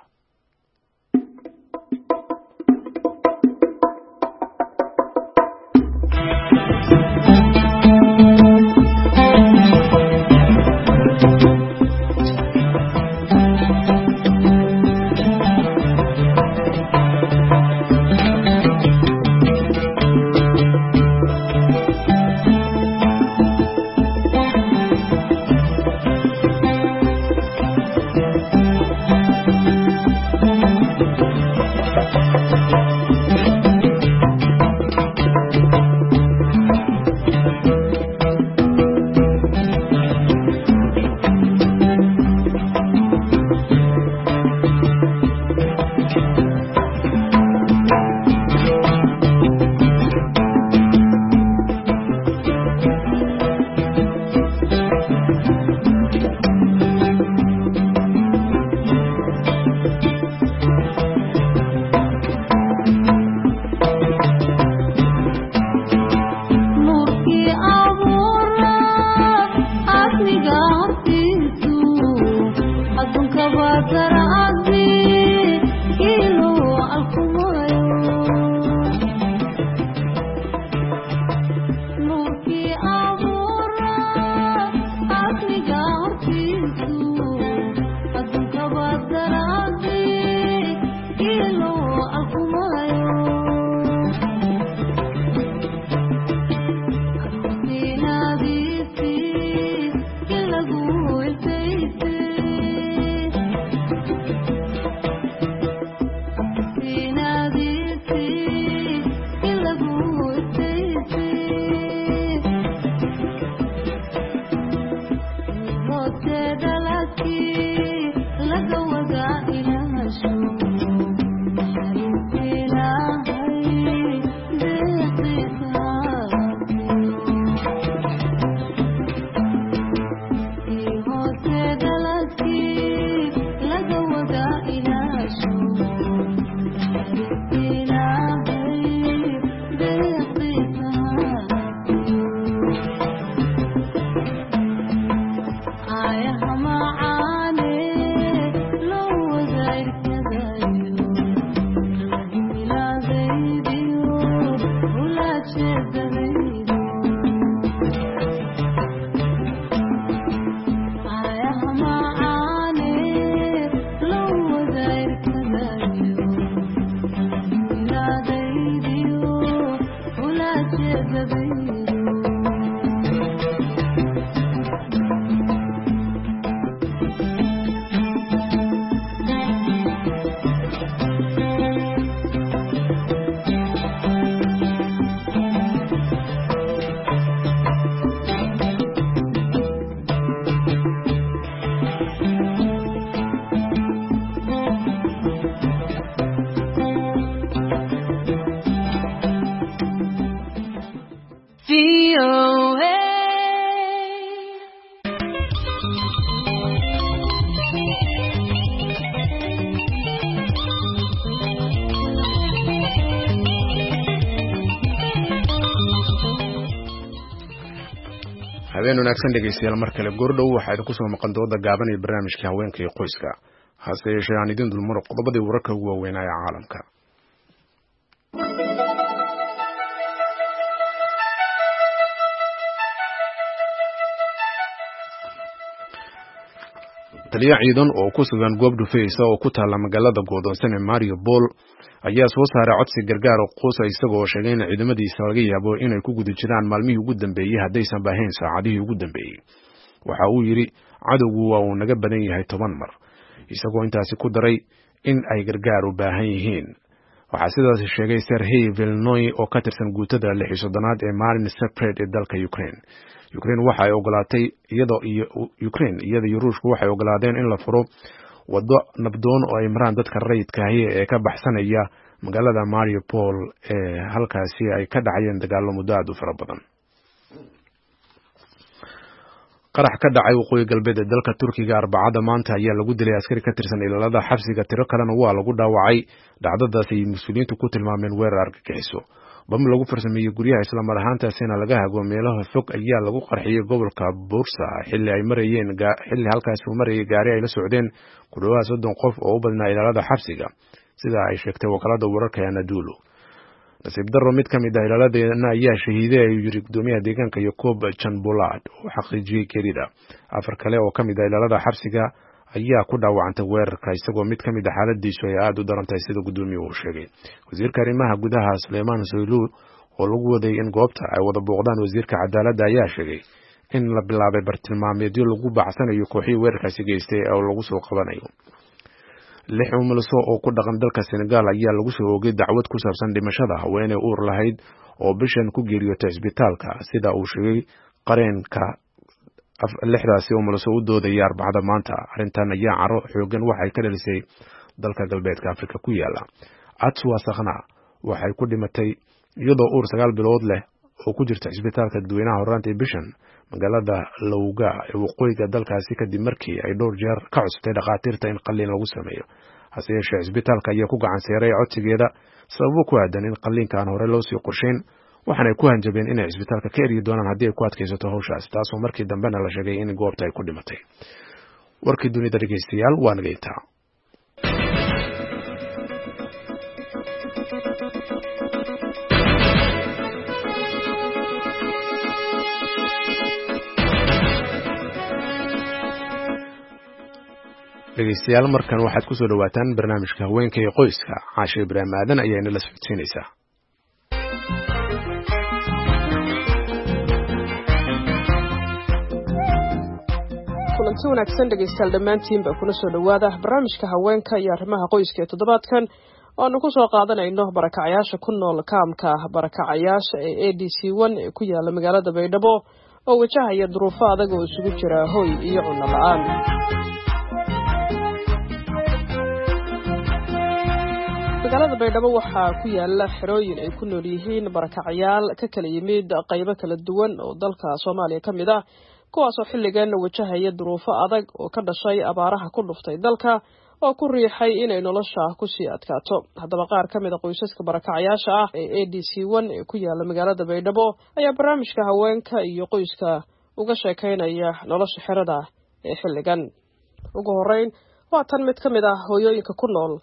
Habeen wanaagsan dhegeystayaal, mar kale goordhow waxaa idinku soo maqan dooda gaaban iyo barnaamijka haweenka iyo qoyska. Hase yeeshee aan idin dulmaro qodobadii wararka ugu waaweynaa ee caalamka. Taliya ciidan oo ku sugan goob dhufaysa oo ku taalla magaalada go'doonsan ee Mariupol ayaa soo saaray codsi gargaar oo quusa, isagoo sheegay in ciidamadiisa laga yaabo inay ku guda jiraan maalmihii ugu dambeeyey haddaysan baahayn saacadihii ugu dambeeyey. Waxa uu yidhi cadowgu waa uu naga badan yahay 10 mar, isagoo intaasi ku daray in ay gargaar u baahan yihiin. Waxaa sidaas sheegay Serhii Vilnoy oo ka tirsan guutada 36aad ee Marin Separate ee dalka Ukraine. Ukraine waxa ay ogolaatay iyadoo iyo Ukraine iyada iyo Ruushku waxay ogolaadeen in la furo waddo nabdoon oo ay maraan dadka rayidka ahi ee ka baxsanaya magaalada Mariupol ee halkaasi ay ka dhacayeen dagaallo muddo aad u fara badan. Qarax ka dhacay waqooyi galbeed ee dalka Turkiga Arbacada maanta ayaa lagu dilay askari ka tirsan ilaalada xabsiga, tiro kalena waa lagu dhaawacay. Dhacdadaas ay mas-uuliyiintu ku tilmaameen weerar argagixiso. Bam lagu farsameeyey guryaha islamar ahaantaasina laga hago meelaha fog ayaa lagu qarxiyey gobolka Bursa xilli ay marayeen xilli halkaasi uu marayay gaari ay la socdeen ku dhawaad 30 qof oo u badnaa ilaalada xabsiga, sida ay sheegtay wakaalada wararka ee Anadolu. Nasiib darro, mid ka mid ah ilaaladeena ayaa shahiiday, ayuu yiri gudoomiyaha deegaanka Yacob Janbolad oo xaqiijiyey geerida. 4 kale oo ka mid ah ilaalada xabsiga ayaa ku dhaawacantay weerarka, isagoo mid ka mid ah xaaladiisu ay aada u daran tahay, sida gudoomiyuhu uu sheegay. Wasiirka arrimaha gudaha Suleymaan Soylu oo lagu waday in goobta ay wada booqdaan wasiirka cadaaladda ayaa sheegay in la bilaabay bartilmaameedyo lagu bacsanayo kooxihii weerarkaasi geystay oo lagu soo qabanayo. 6 umulso oo ku dhaqan dalka Senegal ayaa lagu soo oogay dacwad ku saabsan dhimashada haweeney uur lahayd oo bishan ku geeriyootay isbitaalka, sida uu sheegay qareenka 6daasi umulso u doodaya Arbacada maanta. Arrintan ayaa caro xoogan waxay ka dhalisay dalka galbeedka Afrika ku yaala. Atswa Sakhna waxay ku dhimatay iyadoo uur 9 bilood leh oo ku jirta isbitaalka dadweynaha horraantii bishan magaalada Lowga ee waqooyiga dalkaasi, kadib markii ay dhowr jeer ka codsatay dhakhaatiirta in qalliin lagu sameeyo. Hase yeeshee isbitaalka ayaa ku gacan seeray codsigeeda sababo ku aadan in qalliinka aan hore loo sii qorshayn, waxaanay ku hanjabeen inay isbitaalka ka eryi doonaan haddii ay ku adkaysato hawshaas, taasoo markii dambena la sheegay in goobta ay ku dhimatay. Warkii dunida dhegeystayaal waa naga intaa. Dhegeystayaal, markan waxaad ku soo dhawaataan barnaamijka haweenka iyo qoyska. Caashe Ibraahim Aadan ayaa inala socodsiinaysaa. Kulanti wanaagsan dhegaystayaal dhammaantiinba, kuna soo dhowaada barnaamijka haweenka iyo arrimaha qoyska ee toddobaadkan oo aanu ku soo qaadanayno barakacayaasha ku nool kaamka barakacayaasha ee A D C 1 ee ku yaala magaalada Baydhabo oo wajahaya duruufo adag oo isugu jira hoy iyo cunno la-aan. Magaalada Baydhabo waxaa ku yaala xerooyin ay ku nool yihiin barakacayaal ka kala yimid qaybo kala duwan oo dalka Soomaaliya ka mid ah, kuwaasoo xilligan wajahaya duruufo adag oo ka dhashay abaaraha ku dhuftay dalka oo ku riixay inay nolosha kusii adkaato. Haddaba qaar ka mid a qoysaska barakacayaasha ah ee A D C 1 ee ku yaala magaalada Baydhabo ayaa barnaamijka haweenka iyo qoyska uga sheekaynaya nolosha xerada ee xilligan. Ugu horreyn waa tan mid ka mid ah hooyooyinka ku nool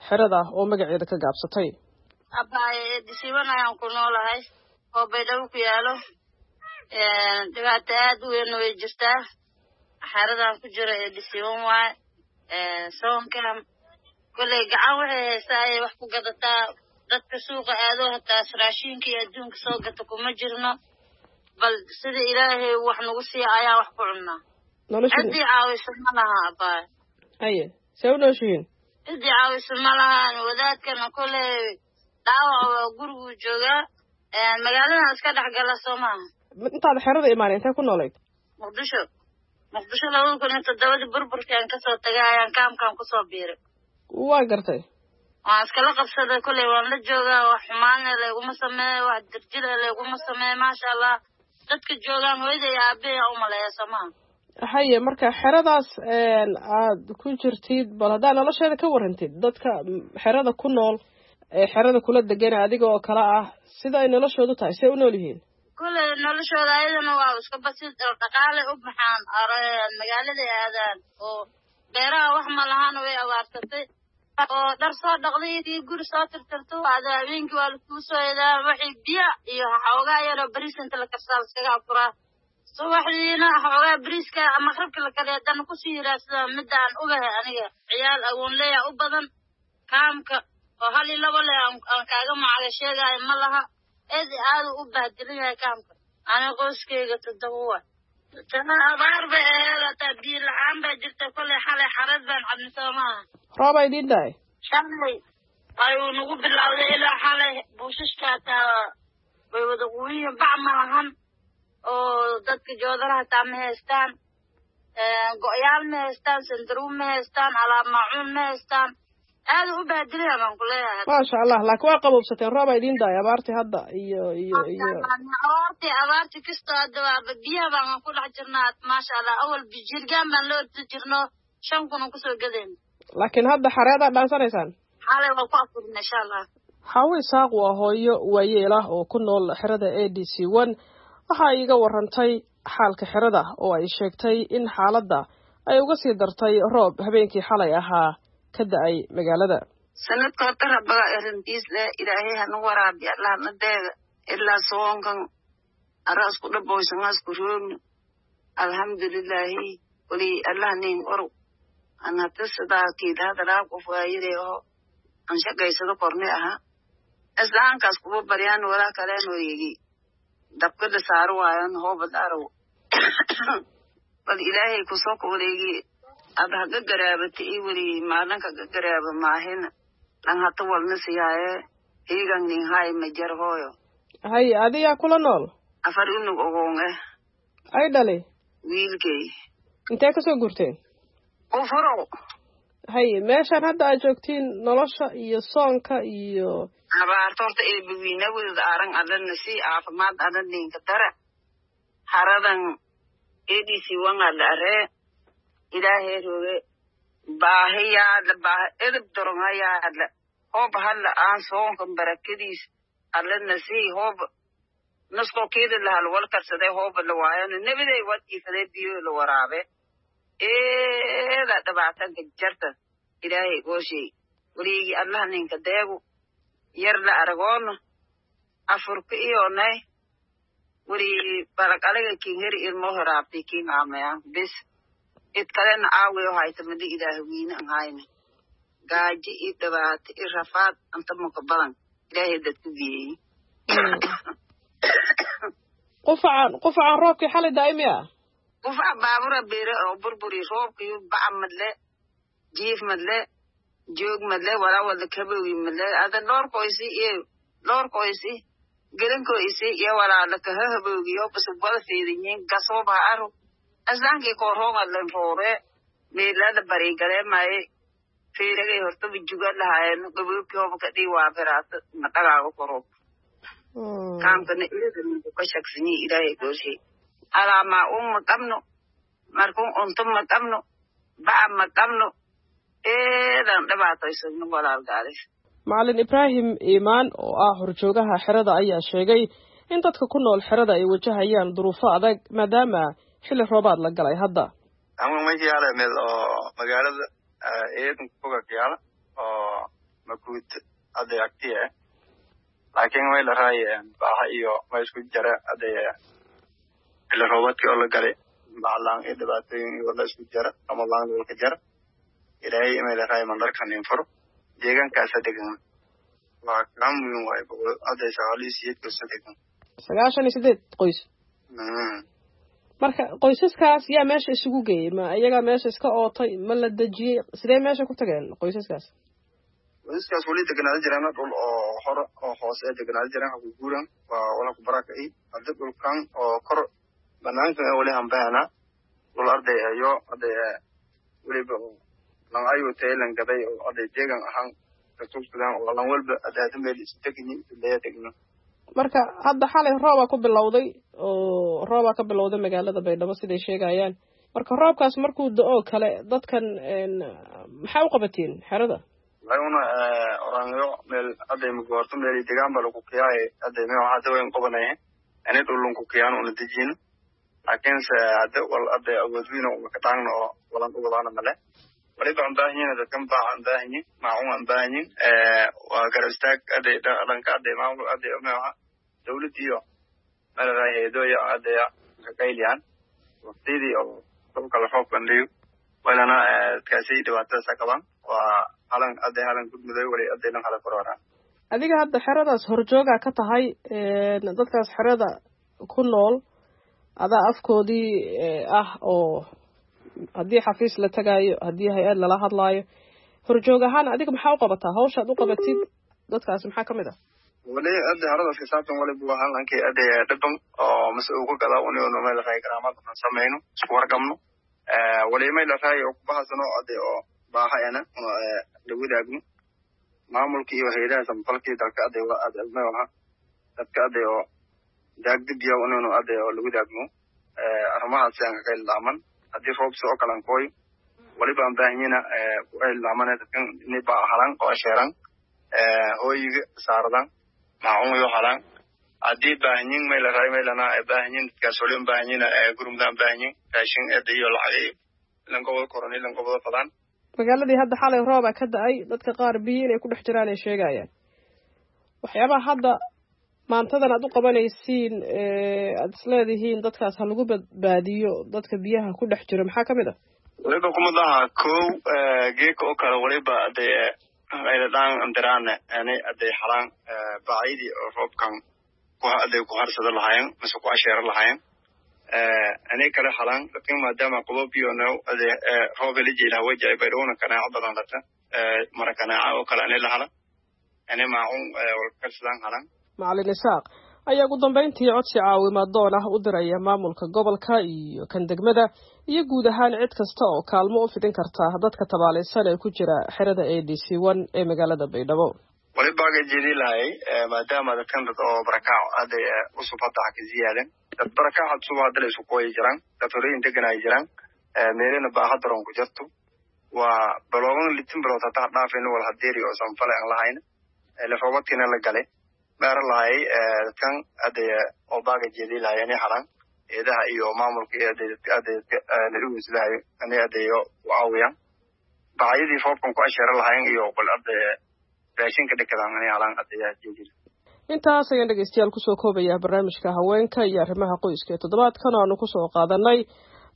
xerada oo magaceeda ka gaabsatay. Abaaye, A D C 1 ayaan ku noolahay oo Baydhabo ku yaalo. Dhibaato aad u weyn way jirtaa. Xeradan ku jiro A D C 1 waaye. Soonka kolley gacan waxay haystaa ayay wax ku gadataa. Dadka suuqa aado hataa raashinka iyo adduunka soo gata kuma jirno, bal sida Ilaahay wax nagu siiya ayaa wax ku cunnaa. Ciddii caawisa ma laha, abaaye. Haye, see u nooshihiin? Ciddii caawisa ma lahan. Wadaadkana kolley dhaawac waa guriguu joogaa, magaaladan iska dhex gala soo maaha. Intaada xerada imaanay intee ku noolayd? Muqdisho. Muqdisho 2007-dii burburkaan kasoo tagay ayaan kaamkaan kusoo biiray. Waa gartay. Waan iskala qabsaday, kolley waan la joogaa. Wax xumaana layguma sameeyo, wax dirjila layguma sameeyo, maasha Allah. Dadka joogaan hooyada iyo aabbahay u maleeya soo maaha. Haye, marka xeradaas aad ku jirtid, bal haddaa nolosheeda ka warantid, dadka xerada ku nool ee xerada kula degan adiga oo kale ah, sida ay noloshoodu tahay, see u nool yihiin? Kulley noloshooda ayadana waa iska basid dhaqaale u baxaan magaalada aadaan oo beeraha wax ma lahaan way abaarsatay oo dhar soo dhaqday iyo guri soo tirtirto ada habeenkii waa lakuu soo eedaa waxay biya iyo xoogaa yaroo bariis inta la karsaa laskaga afuraa subaxdiina xoogaa bariiska maqribka la kariya haddana kusii yiraahsada midda aan ogahay aniga ciyaal agoonleya u badan kaamka oo hal iyo labo leh aan kaaga macaga sheegaayo ma laha eed aadu u bahdilan yahay kaamka. Aniga qoyskayga 7 waay. Abaar bay aheed hataa biyo la-aan baa jirta kolley xalay xareed baan cabni soo maaha. Roob ay idiin dahay? Shalay ayuu nagu bilowday ilaa xalay buushashka hataa way wada quwiyiin bac ma lahan oo dadka joodaraha hataa ma haystaan go'yaal ma haystaan sandaruun ma haystaan alaab maacuun ma haystaan aad u baadilaya baan ku leeyahay. Maasha Allah, laakiin waa qabowsateen roob ay idiin dahay abaartii hadda iyo iyo iyo abaartii kastoo hadda waaba biyaha baan ku dhex jirnaa maasha Allah. Awal jirgaan baan la ordi jirno 5,000 aan kusoo gadayna. Laakiin hadda xareedaa dhaansanaysaan? Xalay waa ku afurna insha Allah. Xaawo Isaaq waa hooyo waayeel ah oo ku nool xerada ADC1. Waxa ay iga warantay xaalka xerada oo ay sheegtay in xaaladda ay uga sii dartay roob habeenkii xalay ahaa ka da'ay magaalada. Sanadka horta rabbaga arrintiis leh ilaahay hanu waraabi allah na deega ilaa soonkan arasku dhaboysangasku roogno alxamdulilaahi wali allah nin oru an hata sidaa kiidahadalaa qof waayire oo an shaqaysado korne aha islaankaas kuba baryaan walaa kaleen wareegi dabka la saaro waayan hoobad araw bal ilaahay kusoo ka wareegi ad haga garaabata i weli maalinka ga garaaba maahina lan hata walna siyaaye hiigan nin hay majar hooyo. Hay adiyaa kula nool? 4 unug ogoon eh. Ay dhalay? Wiilkay. Intee kasoo guurteen? Ufuro. Hay meeshaan hadda aad joogtiin nolosha iyo soonka iyo abaarta horta eebawiina wadad aaran adana si caafimaad adan ninka dara haradan ADC1 la aree ilaahay rooge baahiyaadla baahi edeb doronhayaadla hoob halla aan soonkan barakadiis allana sii hoob naskoo keeda lahal wal karsaday hooba la waayano nebiday wad iifaday biyo la waraabe eeda dhibaatanka jarta ilaahay gooshay weliigi allah ninka deegu yar la aragoono afurka iyonay weli balaqalaga kiin heri ilmo horaabtay kiin aamayaan bis id kalena aawiyo hayta madi ilaahwiine an hayna gaajo i dhibaato i rafaad anta maka badan ilaahay dadku geeyey. Qufacaan roobkii xalay daa'imi ah? Qufaca baabura beere oo burburi roobkiyu baca madle jiif madle joog madle walaa wada kaboogi madle ada dhoorkoisi iyo dhoorkoisi gelankoisi iyo walaa lakahahaboogiyo bas wada feedinyin gasoobaha aro aslaankii kooroongadlan roore meelada bariigaleemaye feeragay hortaba juga lahaayeen gaboobkii hoba kadhii waabiraata madhagaaga koroob kaamkana eedaninku ka shagsanyi ilaahay gooshay alaamaa un ma qabno markun unto ma qabno baca ma qabno eedan dhibaataysano walaalgaalis. Macalin Ibraahim Iimaan oo ah horjoogaha xerada ayaa sheegay in dadka ku nool xerada ay wajahayaan duruufo adag maadaama xilli roobaad la galay hadda. Ama meesha meel oo magaalada eedan kuga yaala oo makuut hadda agtiya laakiin way la raayeen baaha iyo ma isku jara hadda xilli roobaadkii oo la galay baclaan iyo dhibaatooyin iyo la isku jara ramadaan walka jara ilaahay imay la raay mandarkan infuro deegaankaasa degan waa kaa muhiim waaye 198 qoys degan. 98 qoys. Marka qoysaskaas yaa meesha isugu geeyey? Ma iyagaa meesha iska ootay? Ma la dejiyey? Sidee meesha ku tageen qoysaskaas? Qoysaskaas weli deganaada jiraan dhul oo hore oo hoose ee deganaada jiraan ha ku guuran waa wala ku barakay hadda dhulkan oo kor banaanka weli hanbahana dhul arday ayo arday weliba lan ayuu taylan gaday oo arday deegan ahaan kasugsadaan oo lan walba adaada meel isu degni leeya degno. Marka hadda xalay roobaa ku bilowday oo roobaa ka bilowday magaalada Baydhabo siday sheegayaan. Marka roobkaas markuu da'o kale dadkan maxaa u qabatiin xerada? Waxay una oranyo meel hadday magoorto meel degaan baa lagu kiyaaye hadday meel waxaa daweyn qabanaya Ani dhulunku kiyaan una dejino, laakiinse hadda wal hadda awoodwiina uma ka taagno oo walan u wadaana male. Waliba aan baahanyihin dadkan baac aan baahanyin, maacun aan baahanyin, waa garab istaag aday dhanka aday maamul aday maaha dawlad iyo malaraay hayadooya aday kaqayliyaan waqtiyadii oo dhulka la roob bandhiyo walana dadkaasi dhibaatadaasa qabaan. Waa halan aday halan gudmuday wali aday dhan hala kororaan. Adiga hadda xeradaas horjoogaa ka tahay dadkaas xerada ku nool, adaa afkoodii ah oo haddii xafiis la tagaayo, haddii hay-ad lala hadlaayo, horjoog ahaan adiga maxaa u qabataa? Hawshaad u qabatid dadkaasi maxaa kamid ah? Wali hadda xeradaas xisaabtan waliba waa halankii aday dhiban oo mase ugu gadaa uniyonu meel raay garaamad samayno, isku warqabno. Wali meel raay oo kubahasano aday oo baaha ena la wadaagno maamulka iyo hayadaha samafalkii dalka aday waha dadka aday oo daagdibiya uniyonu aday oo la wadaagno arrimahaasi aan kaga ilaaman. Haddii roobsi oo kalan kooyo waliba aan baahanyina ku ilaamane dadkan inay baa halan oo asheeran hooyiga saaradan maacun yo halan. Haddii baahanyin maylaray maylana baahanyin dadkaas wali baahanyina gurmudaan baahanyin raashin eda iyo lacag ilan goboda koron ilan goboda fadaan. Magaaladii hadda xalay rooba ka da-ay, dadka qaar biyo inay ku dhex jiraan ay sheegayaan. Waxyaabaha hadda maantadan aad u qabanaysiin, aada isleedihiin dadkaas ha lagu badbaadiyo dadka biyaha ku dhex jiro, maxaa kamid ah? Waliba kumid aha kow geeka oo kale waliba adee ayladhaan andiraane ani aday halaan bacyadii oo roobkan aday ku harsada lahaayeen mise ku asheera lahaayeen ani kale halaan dadkan, maadaama qaboobiyo now ade roob la jeela wajay baydhowna kanaaco badan lata mara kanaaca oo kale ani la hala ani maacun walkarsadaan halaan. Macalin Isaaq ayaa ugu dambeyntii codsi caawimaad doon ah u diraya maamulka gobolka iyo kan degmada iyo guud ahaan cid kasta oo kaalmo u fidin karta dadka tabaalaysan ee ku jira xerada A D C 1 ee magaalada Baydhabo. Waliba jeedi lahay maadaama dadkan dad oo barakaac aday cusub hadda ha ka ziyaadan, dad barakaac cusub hadda la isku kooyi jiraan, dad horeyin degan ay jiraan, meelina baaha daroon ku jirto. Waa baloogan litin bilood hataa dhaafayna wal hadeeri oo sanfale aan lahayn lafoobadkiina la galay meera lahay dadkan aday oo baaga jeedi lahay inay halaan eedaha iyo maamulka iyo aday la inay adeeyo u caawiyaan bacyadii roobkan ku asheera lahayn iyo qol aday raashinka dhikadaan inay halaan adeeyaha jeedi. Intaas ayaan dhegeystayaal kusoo koobaya barnaamijka haweenka iyo arrimaha qoyska ee toddobaadkan oo aanu kusoo qaadanay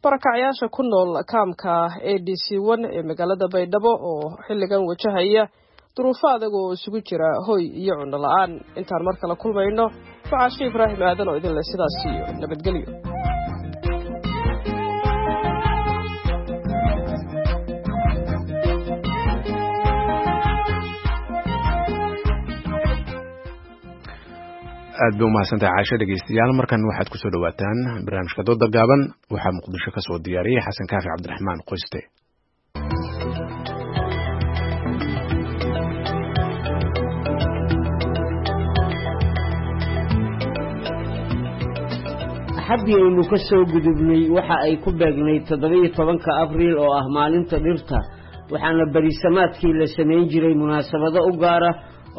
barakacyaasha ku nool kaamka A D C 1 ee magaalada Baydhabo oo xilligan wajahaya duruufo adag oo isugu jira hoy iyo cunno la-aan. Intaan mar kale kulmayno, waxaa Ibraahim Aadan oo idin leh sidaas iyo nabadgelyo. Aad bay umahadsantahay Caasho. Dhegeystayaal, markan waxaad kusoo dhawaataan barnaamijka dooda gaaban. Waxaa Muqdisho ka soo diyaariyey Xasan Kaafi Cabdiraxmaan Qoyste. Axaddii aynu ka soo gudubnay waxa ay ku beegnay 17-ka Abriil oo ah maalinta dhirta, waxaana berisamaadkii la samayn jiray munaasabado u gaara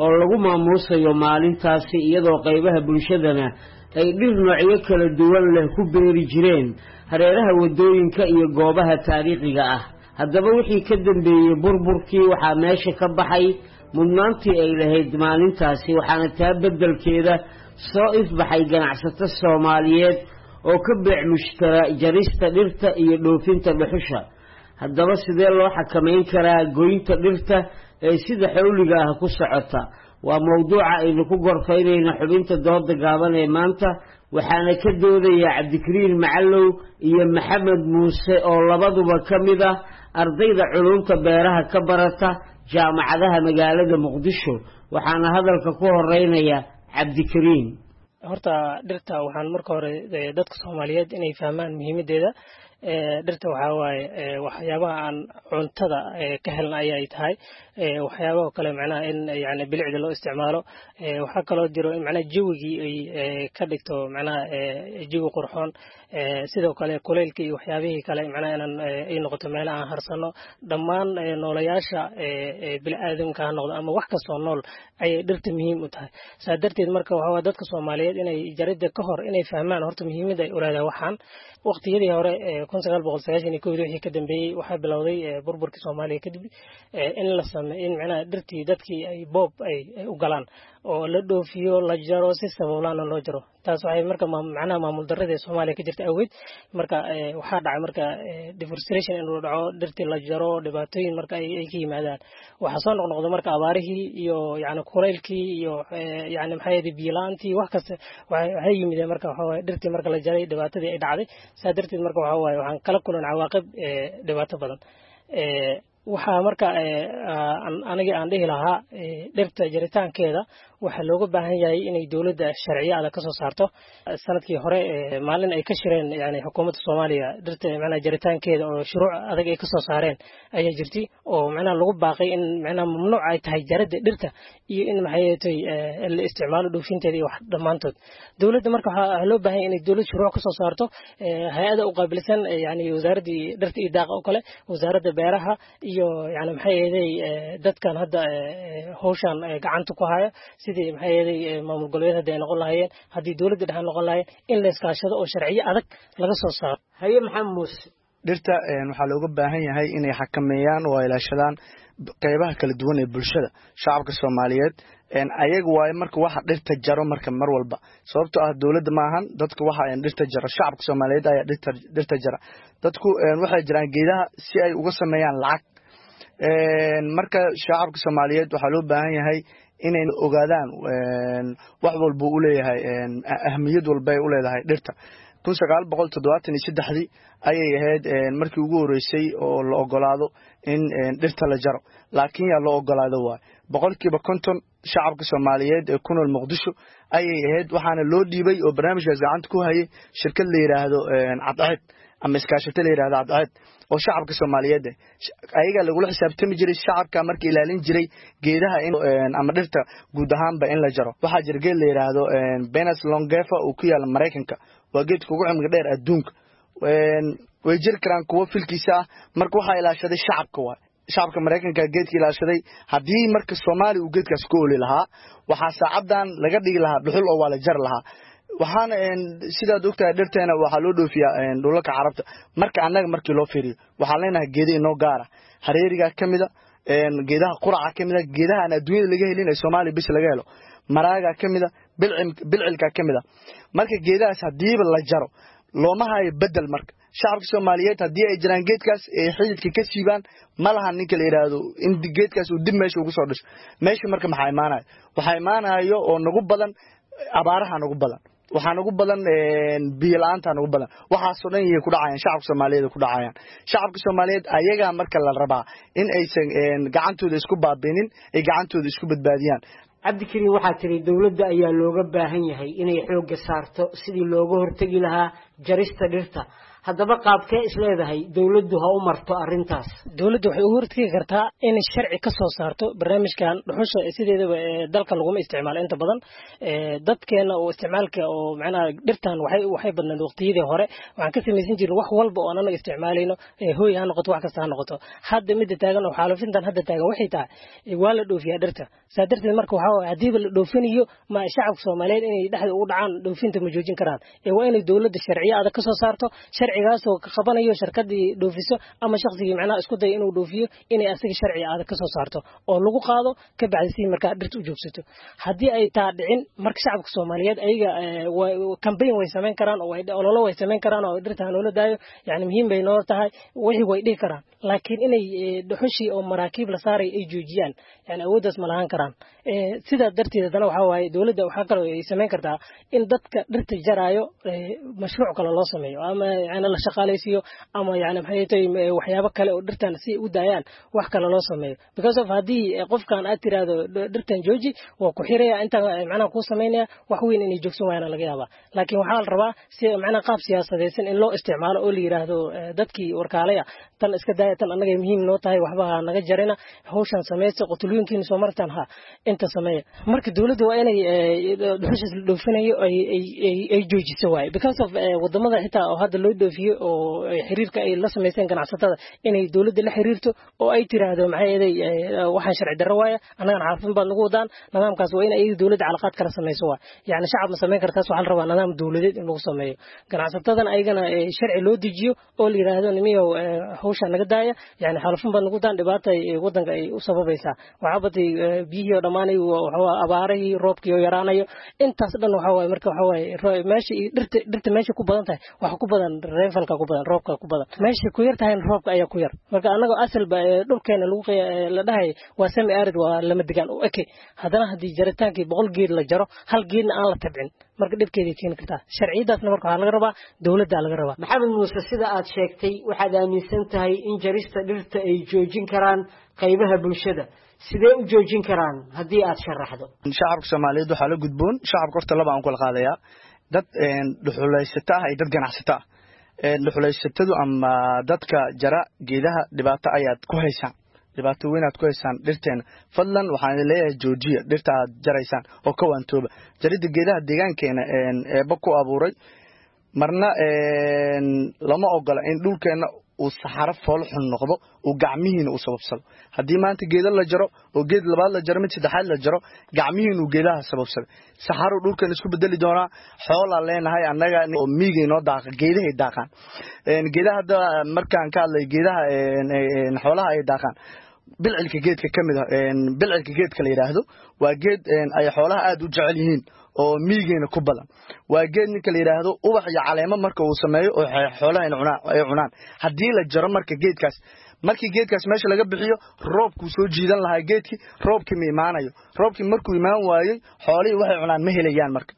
oo lagu maamuusayo maalintaasi, iyadoo qaybaha bulshadana ay dhir noocyo kala duwan leh ku beeri jireen hareeraha waddooyinka iyo goobaha taariikhiga ah. Haddaba wixii ka dambeeyey burburkii waxaa meesha ka baxay mudnaantii ay lahayd maalintaasi, waxaana taa beddelkeeda soo ifbaxay ganacsato Soomaaliyeed oo ka beec mushtara jarista dhirta iyo dhoofinta dhuxusha. Haddaba sidee loo xakamayn karaa goynta dhirta ee sida xawliga ah ku socota? Waa mowduuca aynu ku gorfaynayna xubinta dooda gaaban ee maanta, waxaana ka doodaya Cabdikariin Macalow iyo Maxamed Muuse oo labaduba ka mid ah ardayda culumta beeraha ka barata jaamacadaha magaalada Muqdisho. Waxaana hadalka ku horeynaya Cabdikariin. Horta dhirta waxaan marka hore dadka Soomaaliyeed inay fahmaan muhiimadeeda. Dhirta waxaa waaye waxyaabaha aan cuntada ka helna ayay tahay. Waxyaabaha kale macnaha in yani bilicda loo isticmaalo. Waxaa kaloo jiro in macnaha jawigii ay ka dhigto macnaha jawi qurxoon. Sidoo kale kuleylka iyo waxyaabihii kale macnaha inaan ay noqoto meelaha aan harsano. Dhammaan noolayaasha bini'aadamka ha noqdo ama wax kastoo nool ayay dhirta muhiim u tahay. Saa darteed marka waxaa waaye dadka Soomaaliyeed inay jaridda ka hor inay fahmaan horta muhiimadda ay u leedahay waxaan. Waqtiyadii hore 1991 wixii ka dambeeyey waxaa bilowday burburkii Soomaaliya kadib in la sameeyo in macnaha dhirtii dadkii ay boob ay u galaan oo la dhoofiyo, la jaro, si sabablaana loo jaro. Taas waxay marka macnaha maamul darrada ee Soomaaliya ka jirta awgeed marka waxaa dhacay marka deforestation inuu dhaco, dhirtii la jaro, dhibaatooyin marka ay ka yimaadaan. Waxaa soo noqnoqda marka abaarihii iyo yacni kulaylkii iyo yacni maxay ahayd biyo la'aantii, wax kasta waxay yimideen marka waxaa waaye dhirtii marka la jaray dhibaatadii ay dhacday. Saa darteed marka waxaa waaye waxaan kala kulan cawaaqib dhibaato badan. Waxaa marka aniga aan dhihi lahaa dhirta jaritaankeeda waxaa looga baahan yahay inay dowladda sharciyo adag ka soo saarto. Sanadkii hore maalin ay ka shireen yani xukuumadda Soomaaliya dhirta macnaha jaritaankeeda oo shuruuc adag ay ka soo saareen ayaa jirtay, oo macnaha lagu baaqay in macnaha mamnuuc ay tahay jaridda dhirta iyo in maxay tahay la isticmaalo dhoofinteeda iyo wax dhammaantood. Dowladda marka waxaa loo baahan yahay inay dowlad shuruuc ka soo saarto, hay-ada u qaabilsan yani wasaaraddii dhirta iyo daaqa oo kale, wasaaradda beeraha iyo yani maxay ahayd dadkan hadda hawshan gacanta ku haya, sidii maxay ahayd maamul goboleed hadda ay noqon lahaayeen, haddii dowladda dhexe noqon lahaayeen, in la iskaashado oo sharciyo adag laga soo saaro. Haye Maxamed Muuse. Dhirta waxaa looga baahan yahay inay xakameeyaan oo ay ilaashadaan qeybaha kala duwan ee bulshada shacabka Soomaaliyeed. Ayaga waaye marka waxa dhirta jaro marka mar walba, sababtoo ah dowladda ma ahan dadka waxa dhirta jaro, shacabka Soomaaliyeed ayaa dhirta jara. Dadku waxay jiraan geedaha si ay uga sameeyaan lacag. Marka shacabka Soomaaliyeed waxaa loo baahan yahay inay ogaadaan wax walba uu leeyahay, ahmiyad walba ay u leedahay dhirta. 1973 ayay ahayd markii ugu horeysay oo la ogolaado in dhirta la jaro, laakiin yaa loo ogolaado waay 50% shacabka Soomaaliyeed ee ku nool Muqdisho ayay ahayd. Waxaana loo dhiibay oo barnaamijkaas gacanta ku hayay shirkad la yiraahdo Cadceed ama iskaashato la yiraahdo Cadceed oo shacabka Soomaaliyeed ayaga lagula xisaabtami jiray. Shacabka markii ilaalin jiray geedaha in ama dhirta guud ahaanba in la jaro. Waxaa jira geed la yiraahdo Pinus longaeva oo ku yaala Mareykanka, waa geedka ugu cimriga dheer adduunka. Way jiri karaan kuwo filkiisa ah. Marka waxaa ilaashaday shacabka waay, shacabka Mareykanka geedka ilaashaday. Haddii marka Soomaaliya uu geedkaas ku oli lahaa, waxaa saacadan laga dhigi lahaa dhuxul oo waa la jari lahaa. Waxaana sidaad ogtahay dhirteena waxaa loo dhoofiyaa dhulalka Carabta. Marka annaga markii loo fiiriyo waxaan leenahay geeda inoo gaara, hareerigaa ka mida, geedaha quraca ka mida, geedaha aan adduunyada laga helin ee Soomaaliya bis laga helo, maraagaa ka mida, bilcilkaa ka mida. Marka geedahaas haddiiba la jaro looma hayo bedel. Marka shacabka Soomaaliyeed haddii ay jiraan geedkaas ay xididka ka siibaan, ma laha ninka la yiraahdo in geedkaas uu dib meesha ugu soo dhasho meesha. Marka maxaa imaanayo? Waxaa imaanayo oo nagu badan abaaraha nagu badan, waxaa nagu badan biyo la'aanta nagu badan. Waxaasoo dhan yay ku dhacayaan shacabka Soomaaliyeed, ku dhacayaan shacabka Soomaaliyeed. Ayagaa marka la rabaa in aysan gacantooda isku baabinin, ay gacantooda isku badbaadiyaan. Cabdikariin, waxaa tiri dowladda ayaa looga baahan yahay inay xoogga saarto sidii looga hortegi lahaa jarista dhirta. Haddaba qaabkee isleedahay dowladdu ha u marto arrintaas? Dowladdu waxay uga hortegi kartaa inay sharci ka soo saarto barnaamijkan dhuxusha. Sideedaba dalka laguma isticmaalo inta badan dadkeena oo isticmaalka oo macnaha dhirtan waxay badnayd waqtiyadii hore. Waxaan ka samaysan jirnay wax walba oo aan anaga isticmaalayno, hooy ha noqoto, wax kasta ha noqoto. Hadda midda taagan oo xaalufintan hadda taagan waxay tahay waa la dhoofiyaa dhirta. Saa darteed marka waxaa waaye haddiiba la dhoofinayo, ma shacabka Soomaaliyeed inay dhexda ugu dhacaan dhoofinta ma joojin karaan. Waa inay dowladda sharciyo adag ka soo saarto, sharcigaasoo ka qabanayo shirkadii dhoofiso ama shaqsigii macnaha isku daya inuu dhoofiyo, inay asaga sharci adag ka soo saarto oo lagu qaado ka bacdi si markaa dhirta u joogsato. Haddii ay taa dhicin marka shacabka Soomaaliyeed ayaga campaign way samayn karaan oo ololo way samayn karaan oo dhirta ha noola daayo, yani muhiim bay noo tahay wixii way dhihi karaan, laakiin inay dhuxushii oo maraakiib la saaray ay joojiyaan yani awooddaas ma lahaan karaan. Sidaa darteed haddana waxaa waaye dowladda waxaa kaloo ay samayn kartaa in dadka dhirta jaraayo mashruuc kale loo sameeyo ama yani la shaqaalaysiiyo ama yani maxay tahay waxyaabo kale oo dhirtan si u daayaan wax kale loo sameeyo, because of haddii qofkan aad tiraahdo dhirtan jooji, waa ku xiraya, inta macnaha kuu samaynaya wax weyn inay joogsan waayana laga yaabaa. Laakiin waxaa la rabaa si macnaha qaab siyaasadaysan in loo isticmaalo oo la yiraahdo dadkii warkaalaya tan iska daaya, tan annaga muhiim noo tahay, waxba ha naga jarina, hawshan samaysta, qotulooyinkiina soo martaan ha inta sameeya. Marka dowladda waa inay dhuxushaas la dhoofinayo ay joojiso waaye, because of wadamada xitaa oo hadda loo dhoofiyo oo xiriirka ay la samaysteen ganacsatada, inay dowladda la xiriirto oo ay tiraahdo maxay eeday waxaan sharci darro waaya, annagana xaafin baad nagu wadaan. Nidaamkaas waa in ayaga dowladda calaqaad kala samayso waay. Yani shacab ma samayn kartaas, waxaa la rabaa nidaam dowladeed in lagu sameeyo, ganacsatadana ayagana sharci loo dejiyo oo la yiraahdo nimiyow hawsha naga daaya, yani xaalufin baad nagu wadaan, dhibaata wadanka ay u sababaysaa. Waxaa batay biyihii oo dhammaanay, abaarihii, roobkii oo yaraanayo, intaas dhan waxa waaye. Marka waxa waaye meesha dhirta meesha ku badan tahay waxa ku badan rainfallka ku badan, roobka ku badan. Meesha ku yar tahayna roobka ayaa ku yar. Marka annaga asalba dhulkeena lagu la dhahay waa semi arid, waa lama degaan u eke. Haddana haddii jaritaankii 100 geed la jaro, hal geedna aan la tabcin, marka dhibkeeday keeni kartaa. Sharciyadaasna marka waxaa laga rabaa dowladda laga rabaa. Maxamed Muuse, sida aad sheegtay waxaad aaminsan tahay in jarista dhirta ay joojin karaan qaybaha bulshada. Sidee u joojin karaan haddii aad sharaxdo? Shacabka Soomaaliyeed waxaa la gudboon, shacabka horta laba aan kula qaadayaa, dad dhuxulaysata ah iyo dad ganacsata ah. Dhuxulaysatadu ama dadka jara geedaha, dhibaato ayaad ku haysaan, dhibaato weyn aad ku haysaan dhirteena. Fadlan waxaan idin leeyahay joojiya dhirta aad jaraysaan oo ka waantooba jaridda geedaha deegaankeena eebba ku abuuray. Marna lama ogola in dhulkeena uu saxaro fool xun noqdo, uu gacmihiina uu sababsado. Haddii maanta geedo la jaro oo geed labaad la jaro, mid saddexaad la jaro, gacmihiinu geedaha sababsaday, saxaruu dhulkeena isku bedeli doonaa. Xoolaa leenahay annaga oo miigay noo daaqa, geedahay daaqaan. Geedaha hadda markaan ka hadlay geedaha xoolaha ay daaqaan, bilcilka geedka ka mid ah, bilcilka geedka la yidhaahdo waa geed ay xoolaha aad u jecel yihiin oo miigeena ku badan. Waa geed ninka la yidhaahdo ubax iyo caleemo marka uu sameeyo oo xoolaha ay cunaan. Haddii la jaro marka geedkaas, markii geedkaas meesha laga bixiyo, roobkuu soo jiidan lahaa geedkii, roobkii ma imaanayo. Roobkii markuu imaan waayey, xoolihii waxay cunaan ma helayaan. Marka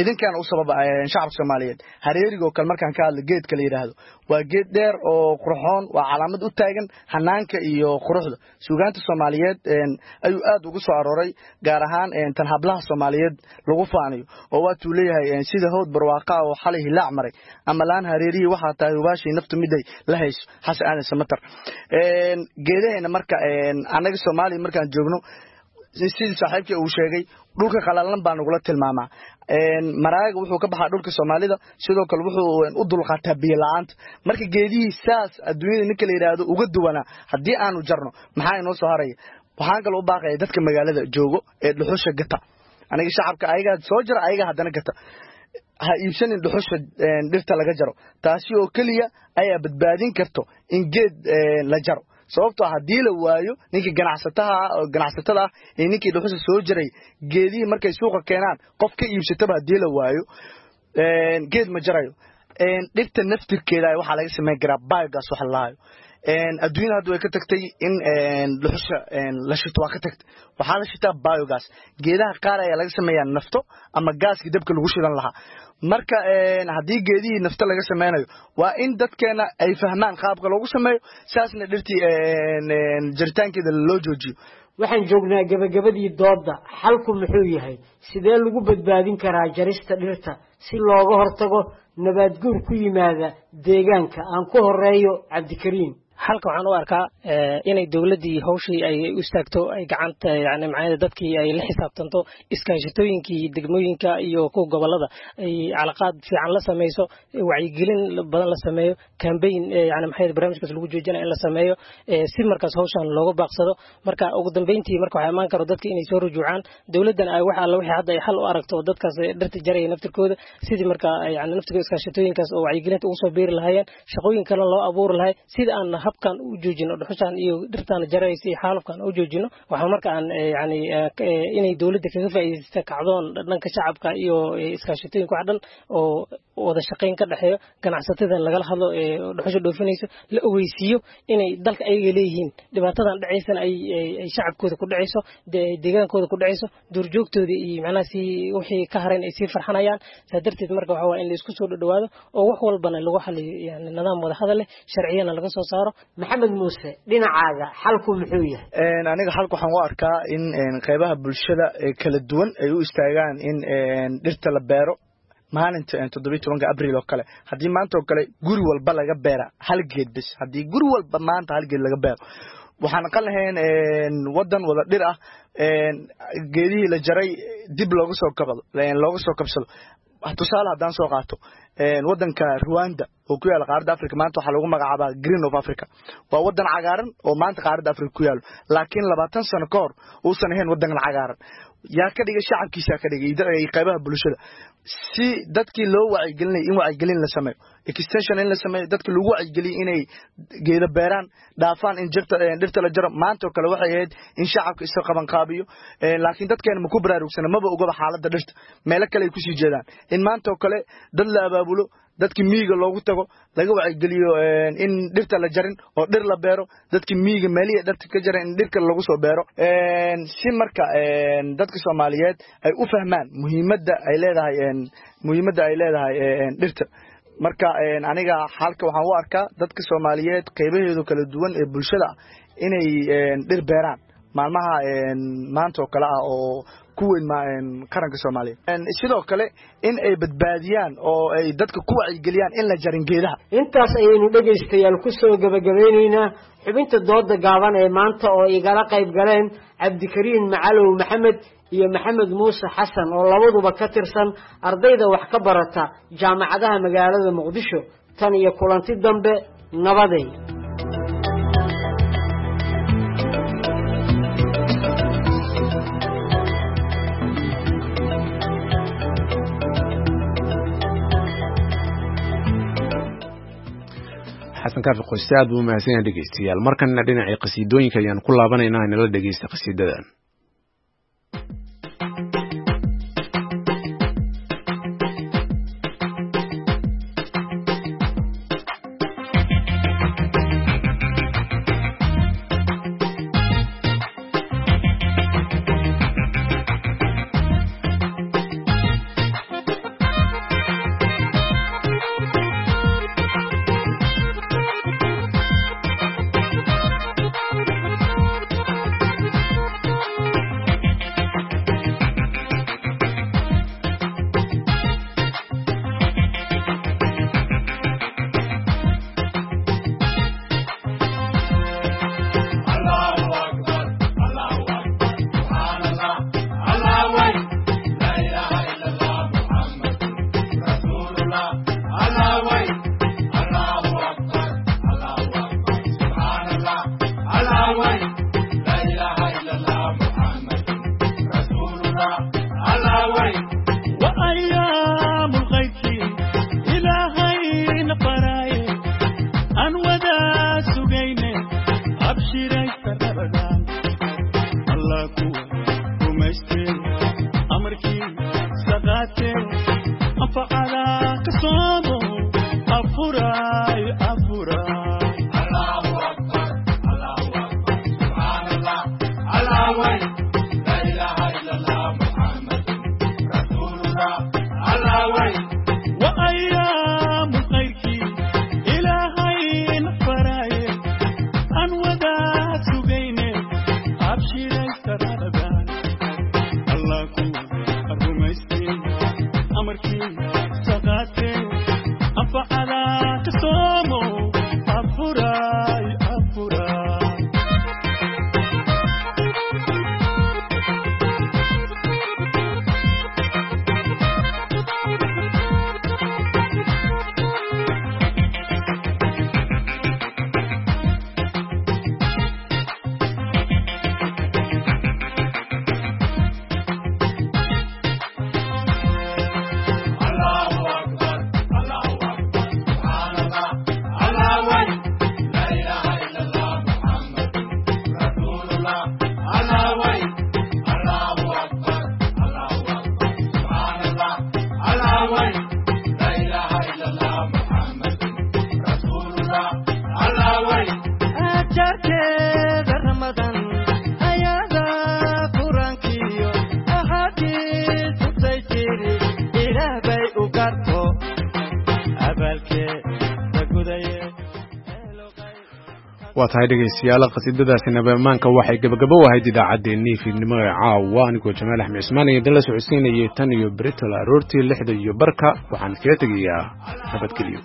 idinkaan u sababa shacabka Soomaaliyeed. Hareeriga oo kale markaan ka hadlo, geedka la yidhaahdo waa geed dheer oo qurxoon, waa calaamad u taagan hanaanka iyo quruxda. Suugaanta Soomaaliyeed ayuu aad ugu soo arooray, gaar ahaan tan hablaha Soomaaliyeed lagu faanayo, oo waatuu leeyahay sida howd barwaaqa oo xalay hilaac maray ama laan hareerihii waxaa tahay hubaashii naftu miday la hayso. Xasan Aadan Samatar. Geedaheena marka annaga Soomaaliya markaan joogno, sidii saaxiibkii uu sheegay, dhulka qalalan baa nagula tilmaamaa. Maraaga wuxuu ka baxaa dhulka Soomaalida, sidoo kale wuxuu u dulqaataa biyo la'aanta. Marka geedihii saas adduunyada ninka la yidhaahdo uga duwanaa haddii aanu jarno, maxaa inoo soo haraya? Waxaan kaloo u baaqaya dadka magaalada joogo ee dhuxusha gata. Aniga shacabka ayagaa soo jara, ayaga haddana gata, ha iibsanin dhuxusha dhirta laga jaro. Taasi oo keliya ayaa badbaadin karto in geed la jaro, sababtoo haddii la waayo ninkii ganacsataha ganacsatada ah iyo ninkii dhuxusha soo jaray, geedihii markay suuqa keenaan qof ka iibsataba haddii la waayo, geed ma jarayo. Dhirta naftirkeeda waxaa laga samayn karaa biogas waxa la lahayo. Adduunyada hadda way ka tagtay in dhuxusha la shito, waa ka tagtay, waxaa la shitaa biogas. Geedaha qaar ayaa laga sameeyaa nafto ama gaaskii dabka lagu shidan lahaa. Marka haddii geedihii nafto laga sameynayo, waa in dadkeena ay fahmaan qaabka loogu sameeyo, saasna dhirtii jaritaankeeda loo joojiyo. Waxaan joognaa gabagabadii doodda. Xalku muxuu yahay? Sidee lagu badbaadin karaa jarista dhirta si looga hortago nabaad guur ku yimaada deegaanka? Aan ku horeeyo Cabdikariim. Xalka waxaan u arkaa inay dowladdii hawshii ay u istaagto, ay gacanta yani macnaheeda dadkii ay la xisaabtanto, iskaashatooyinkii degmooyinka iyo kuwa gobollada ay calaqaad fiican la samayso, wacyigelin badan la sameeyo, campaign yani maxay barnaamijkaas lagu joojinaya in la sameeyo, si markaas hawshan looga baaqsado. Marka ugu dambeyntii marka waxaa imaan karo dadka inay soo rujuucaan, dowladdana ay wax alla wixii hadda ay xal u aragto dadkaas dhirta jaraya naftirkooda, sidii marka yani naftirkooda iskaashatooyinkaas oo wacyigelinta ugu soo biiri lahaayeen, shaqooyin kale loo abuuri lahay, sida aan habkan u joojino dhuxushan iyo dhirtan jaraysa iyo xaalufkan u joojino. Waxaa marka aan yani inay dowladda kaga faa'iidaysato kacdoon dhanka shacabka iyo iskaashatooyinka wax dhan oo Wada shaqayn ka dhexeeyo ganacsatada lagala hadlo ee dhuxusha dhoofinayso, la ogeysiiyo inay dalka ayaga leeyihiin, dhibaatadan dhacaysana ay shacabkooda ku dhacayso, deegaankooda ku dhacayso, duurjoogtooda iyo macnaha si wixii ka harayn ay sii farxanayaan. Saa darteed marka waxa waa in la isku soo dhowaado oo wax walbana lagu xaliyo yani nidaam wada hadal leh, sharciyana laga soo saaro. Maxamed Muuse, dhinacaaga xalku muxuu yahay? Aniga xalku waxaan u arkaa in qeybaha bulshada ee kala duwan ay u istaagaan in dhirta la beero maalinta 17-ka Abriil oo kale. Haddii maanta oo kale guri walba laga beera hal geed bes, haddii guri walba maanta hal geed laga beero, waxaan aqal lahayn wadan wada dhir ah, geedihii la jaray dib looga soo kabado, looga soo kabsado. Tusaale haddaan soo qaato wadanka Rwanda oo ku yaala qaaradda Africa, maanta waxaa lagu magacaabaa Green of Africa. Waa wadan cagaaran oo maanta qaaradda Africa ku yaalo, laakiin 20 sano ka hor uusan ahayn wadankan cagaaran. Yaa ka dhigay? Shacabkiisaa ka dhigay, qaybaha bulshada. Si dadkii loo wacyigelinaya, in wacyigelin la sameeyo, extension in la sameeyo, dadka lagu wacyigeliyo inay geedo beeraan, dhaafaan in jirta dhirta la jaro. Maanta oo kale waxay ahayd in shacabka isa qabanqaabiyo, laakiin dadkeena ma ku baraarugsana, maba ogaba xaaladda dhirta, meelo kale ay kusii jeedaan. In maanta oo kale dad la abaabulo, dadkii miyiga loogu tago, laga wacyigeliyo in dhirta la jarin oo dhir la beero, dadkii miyiga meelihii dhirta ka jaran in dhirka lagu soo beero, si marka dadka Soomaaliyeed ay u fahmaan muhiimadda ay leedahay, muhiimadda ay leedahay dhirta. Marka aniga xalka waxaan u arkaa dadka Soomaaliyeed qaybaheedu kala duwan ee bulshada inay dhir beeraan maalmaha maanta oo kale ah oo ku weyn qaranka Soomaaliya, sidoo kale in ay badbaadiyaan oo ay dadka ku wacyigeliyaan in la jarin geedaha. Intaas ayaynu dhegaystayaal ku soo gabagabeynaynaa xubinta dooda gaaban ee maanta oo igala qayb galeen Cabdikariin Macalow Maxamed iyo Maxamed Muuse Xasan oo labaduba ka tirsan ardayda wax ka barata jaamacadaha magaalada Muqdisho. Tan iyo kulanti dambe, nabaday. Xasan Kaafi Qoyste aad buu u mahadsan yahay. Dhegeystayaal, markanna dhinacii qasiidooyinka ayaan ku laabanaynaa, inala dhegeysta qasiidadan. Waa tahay dhegaystayaal, qasiidadaasi nabaamaanka waxay gabagabo ahayd idaacaddeenii fiidnimo ee caawa. Anigoo Jamaal Axmed Cismaan iyo idinla socodsiinayay tan iyo britol aroortii 6:15, waxaan kaga tegayaa nabadgelyo.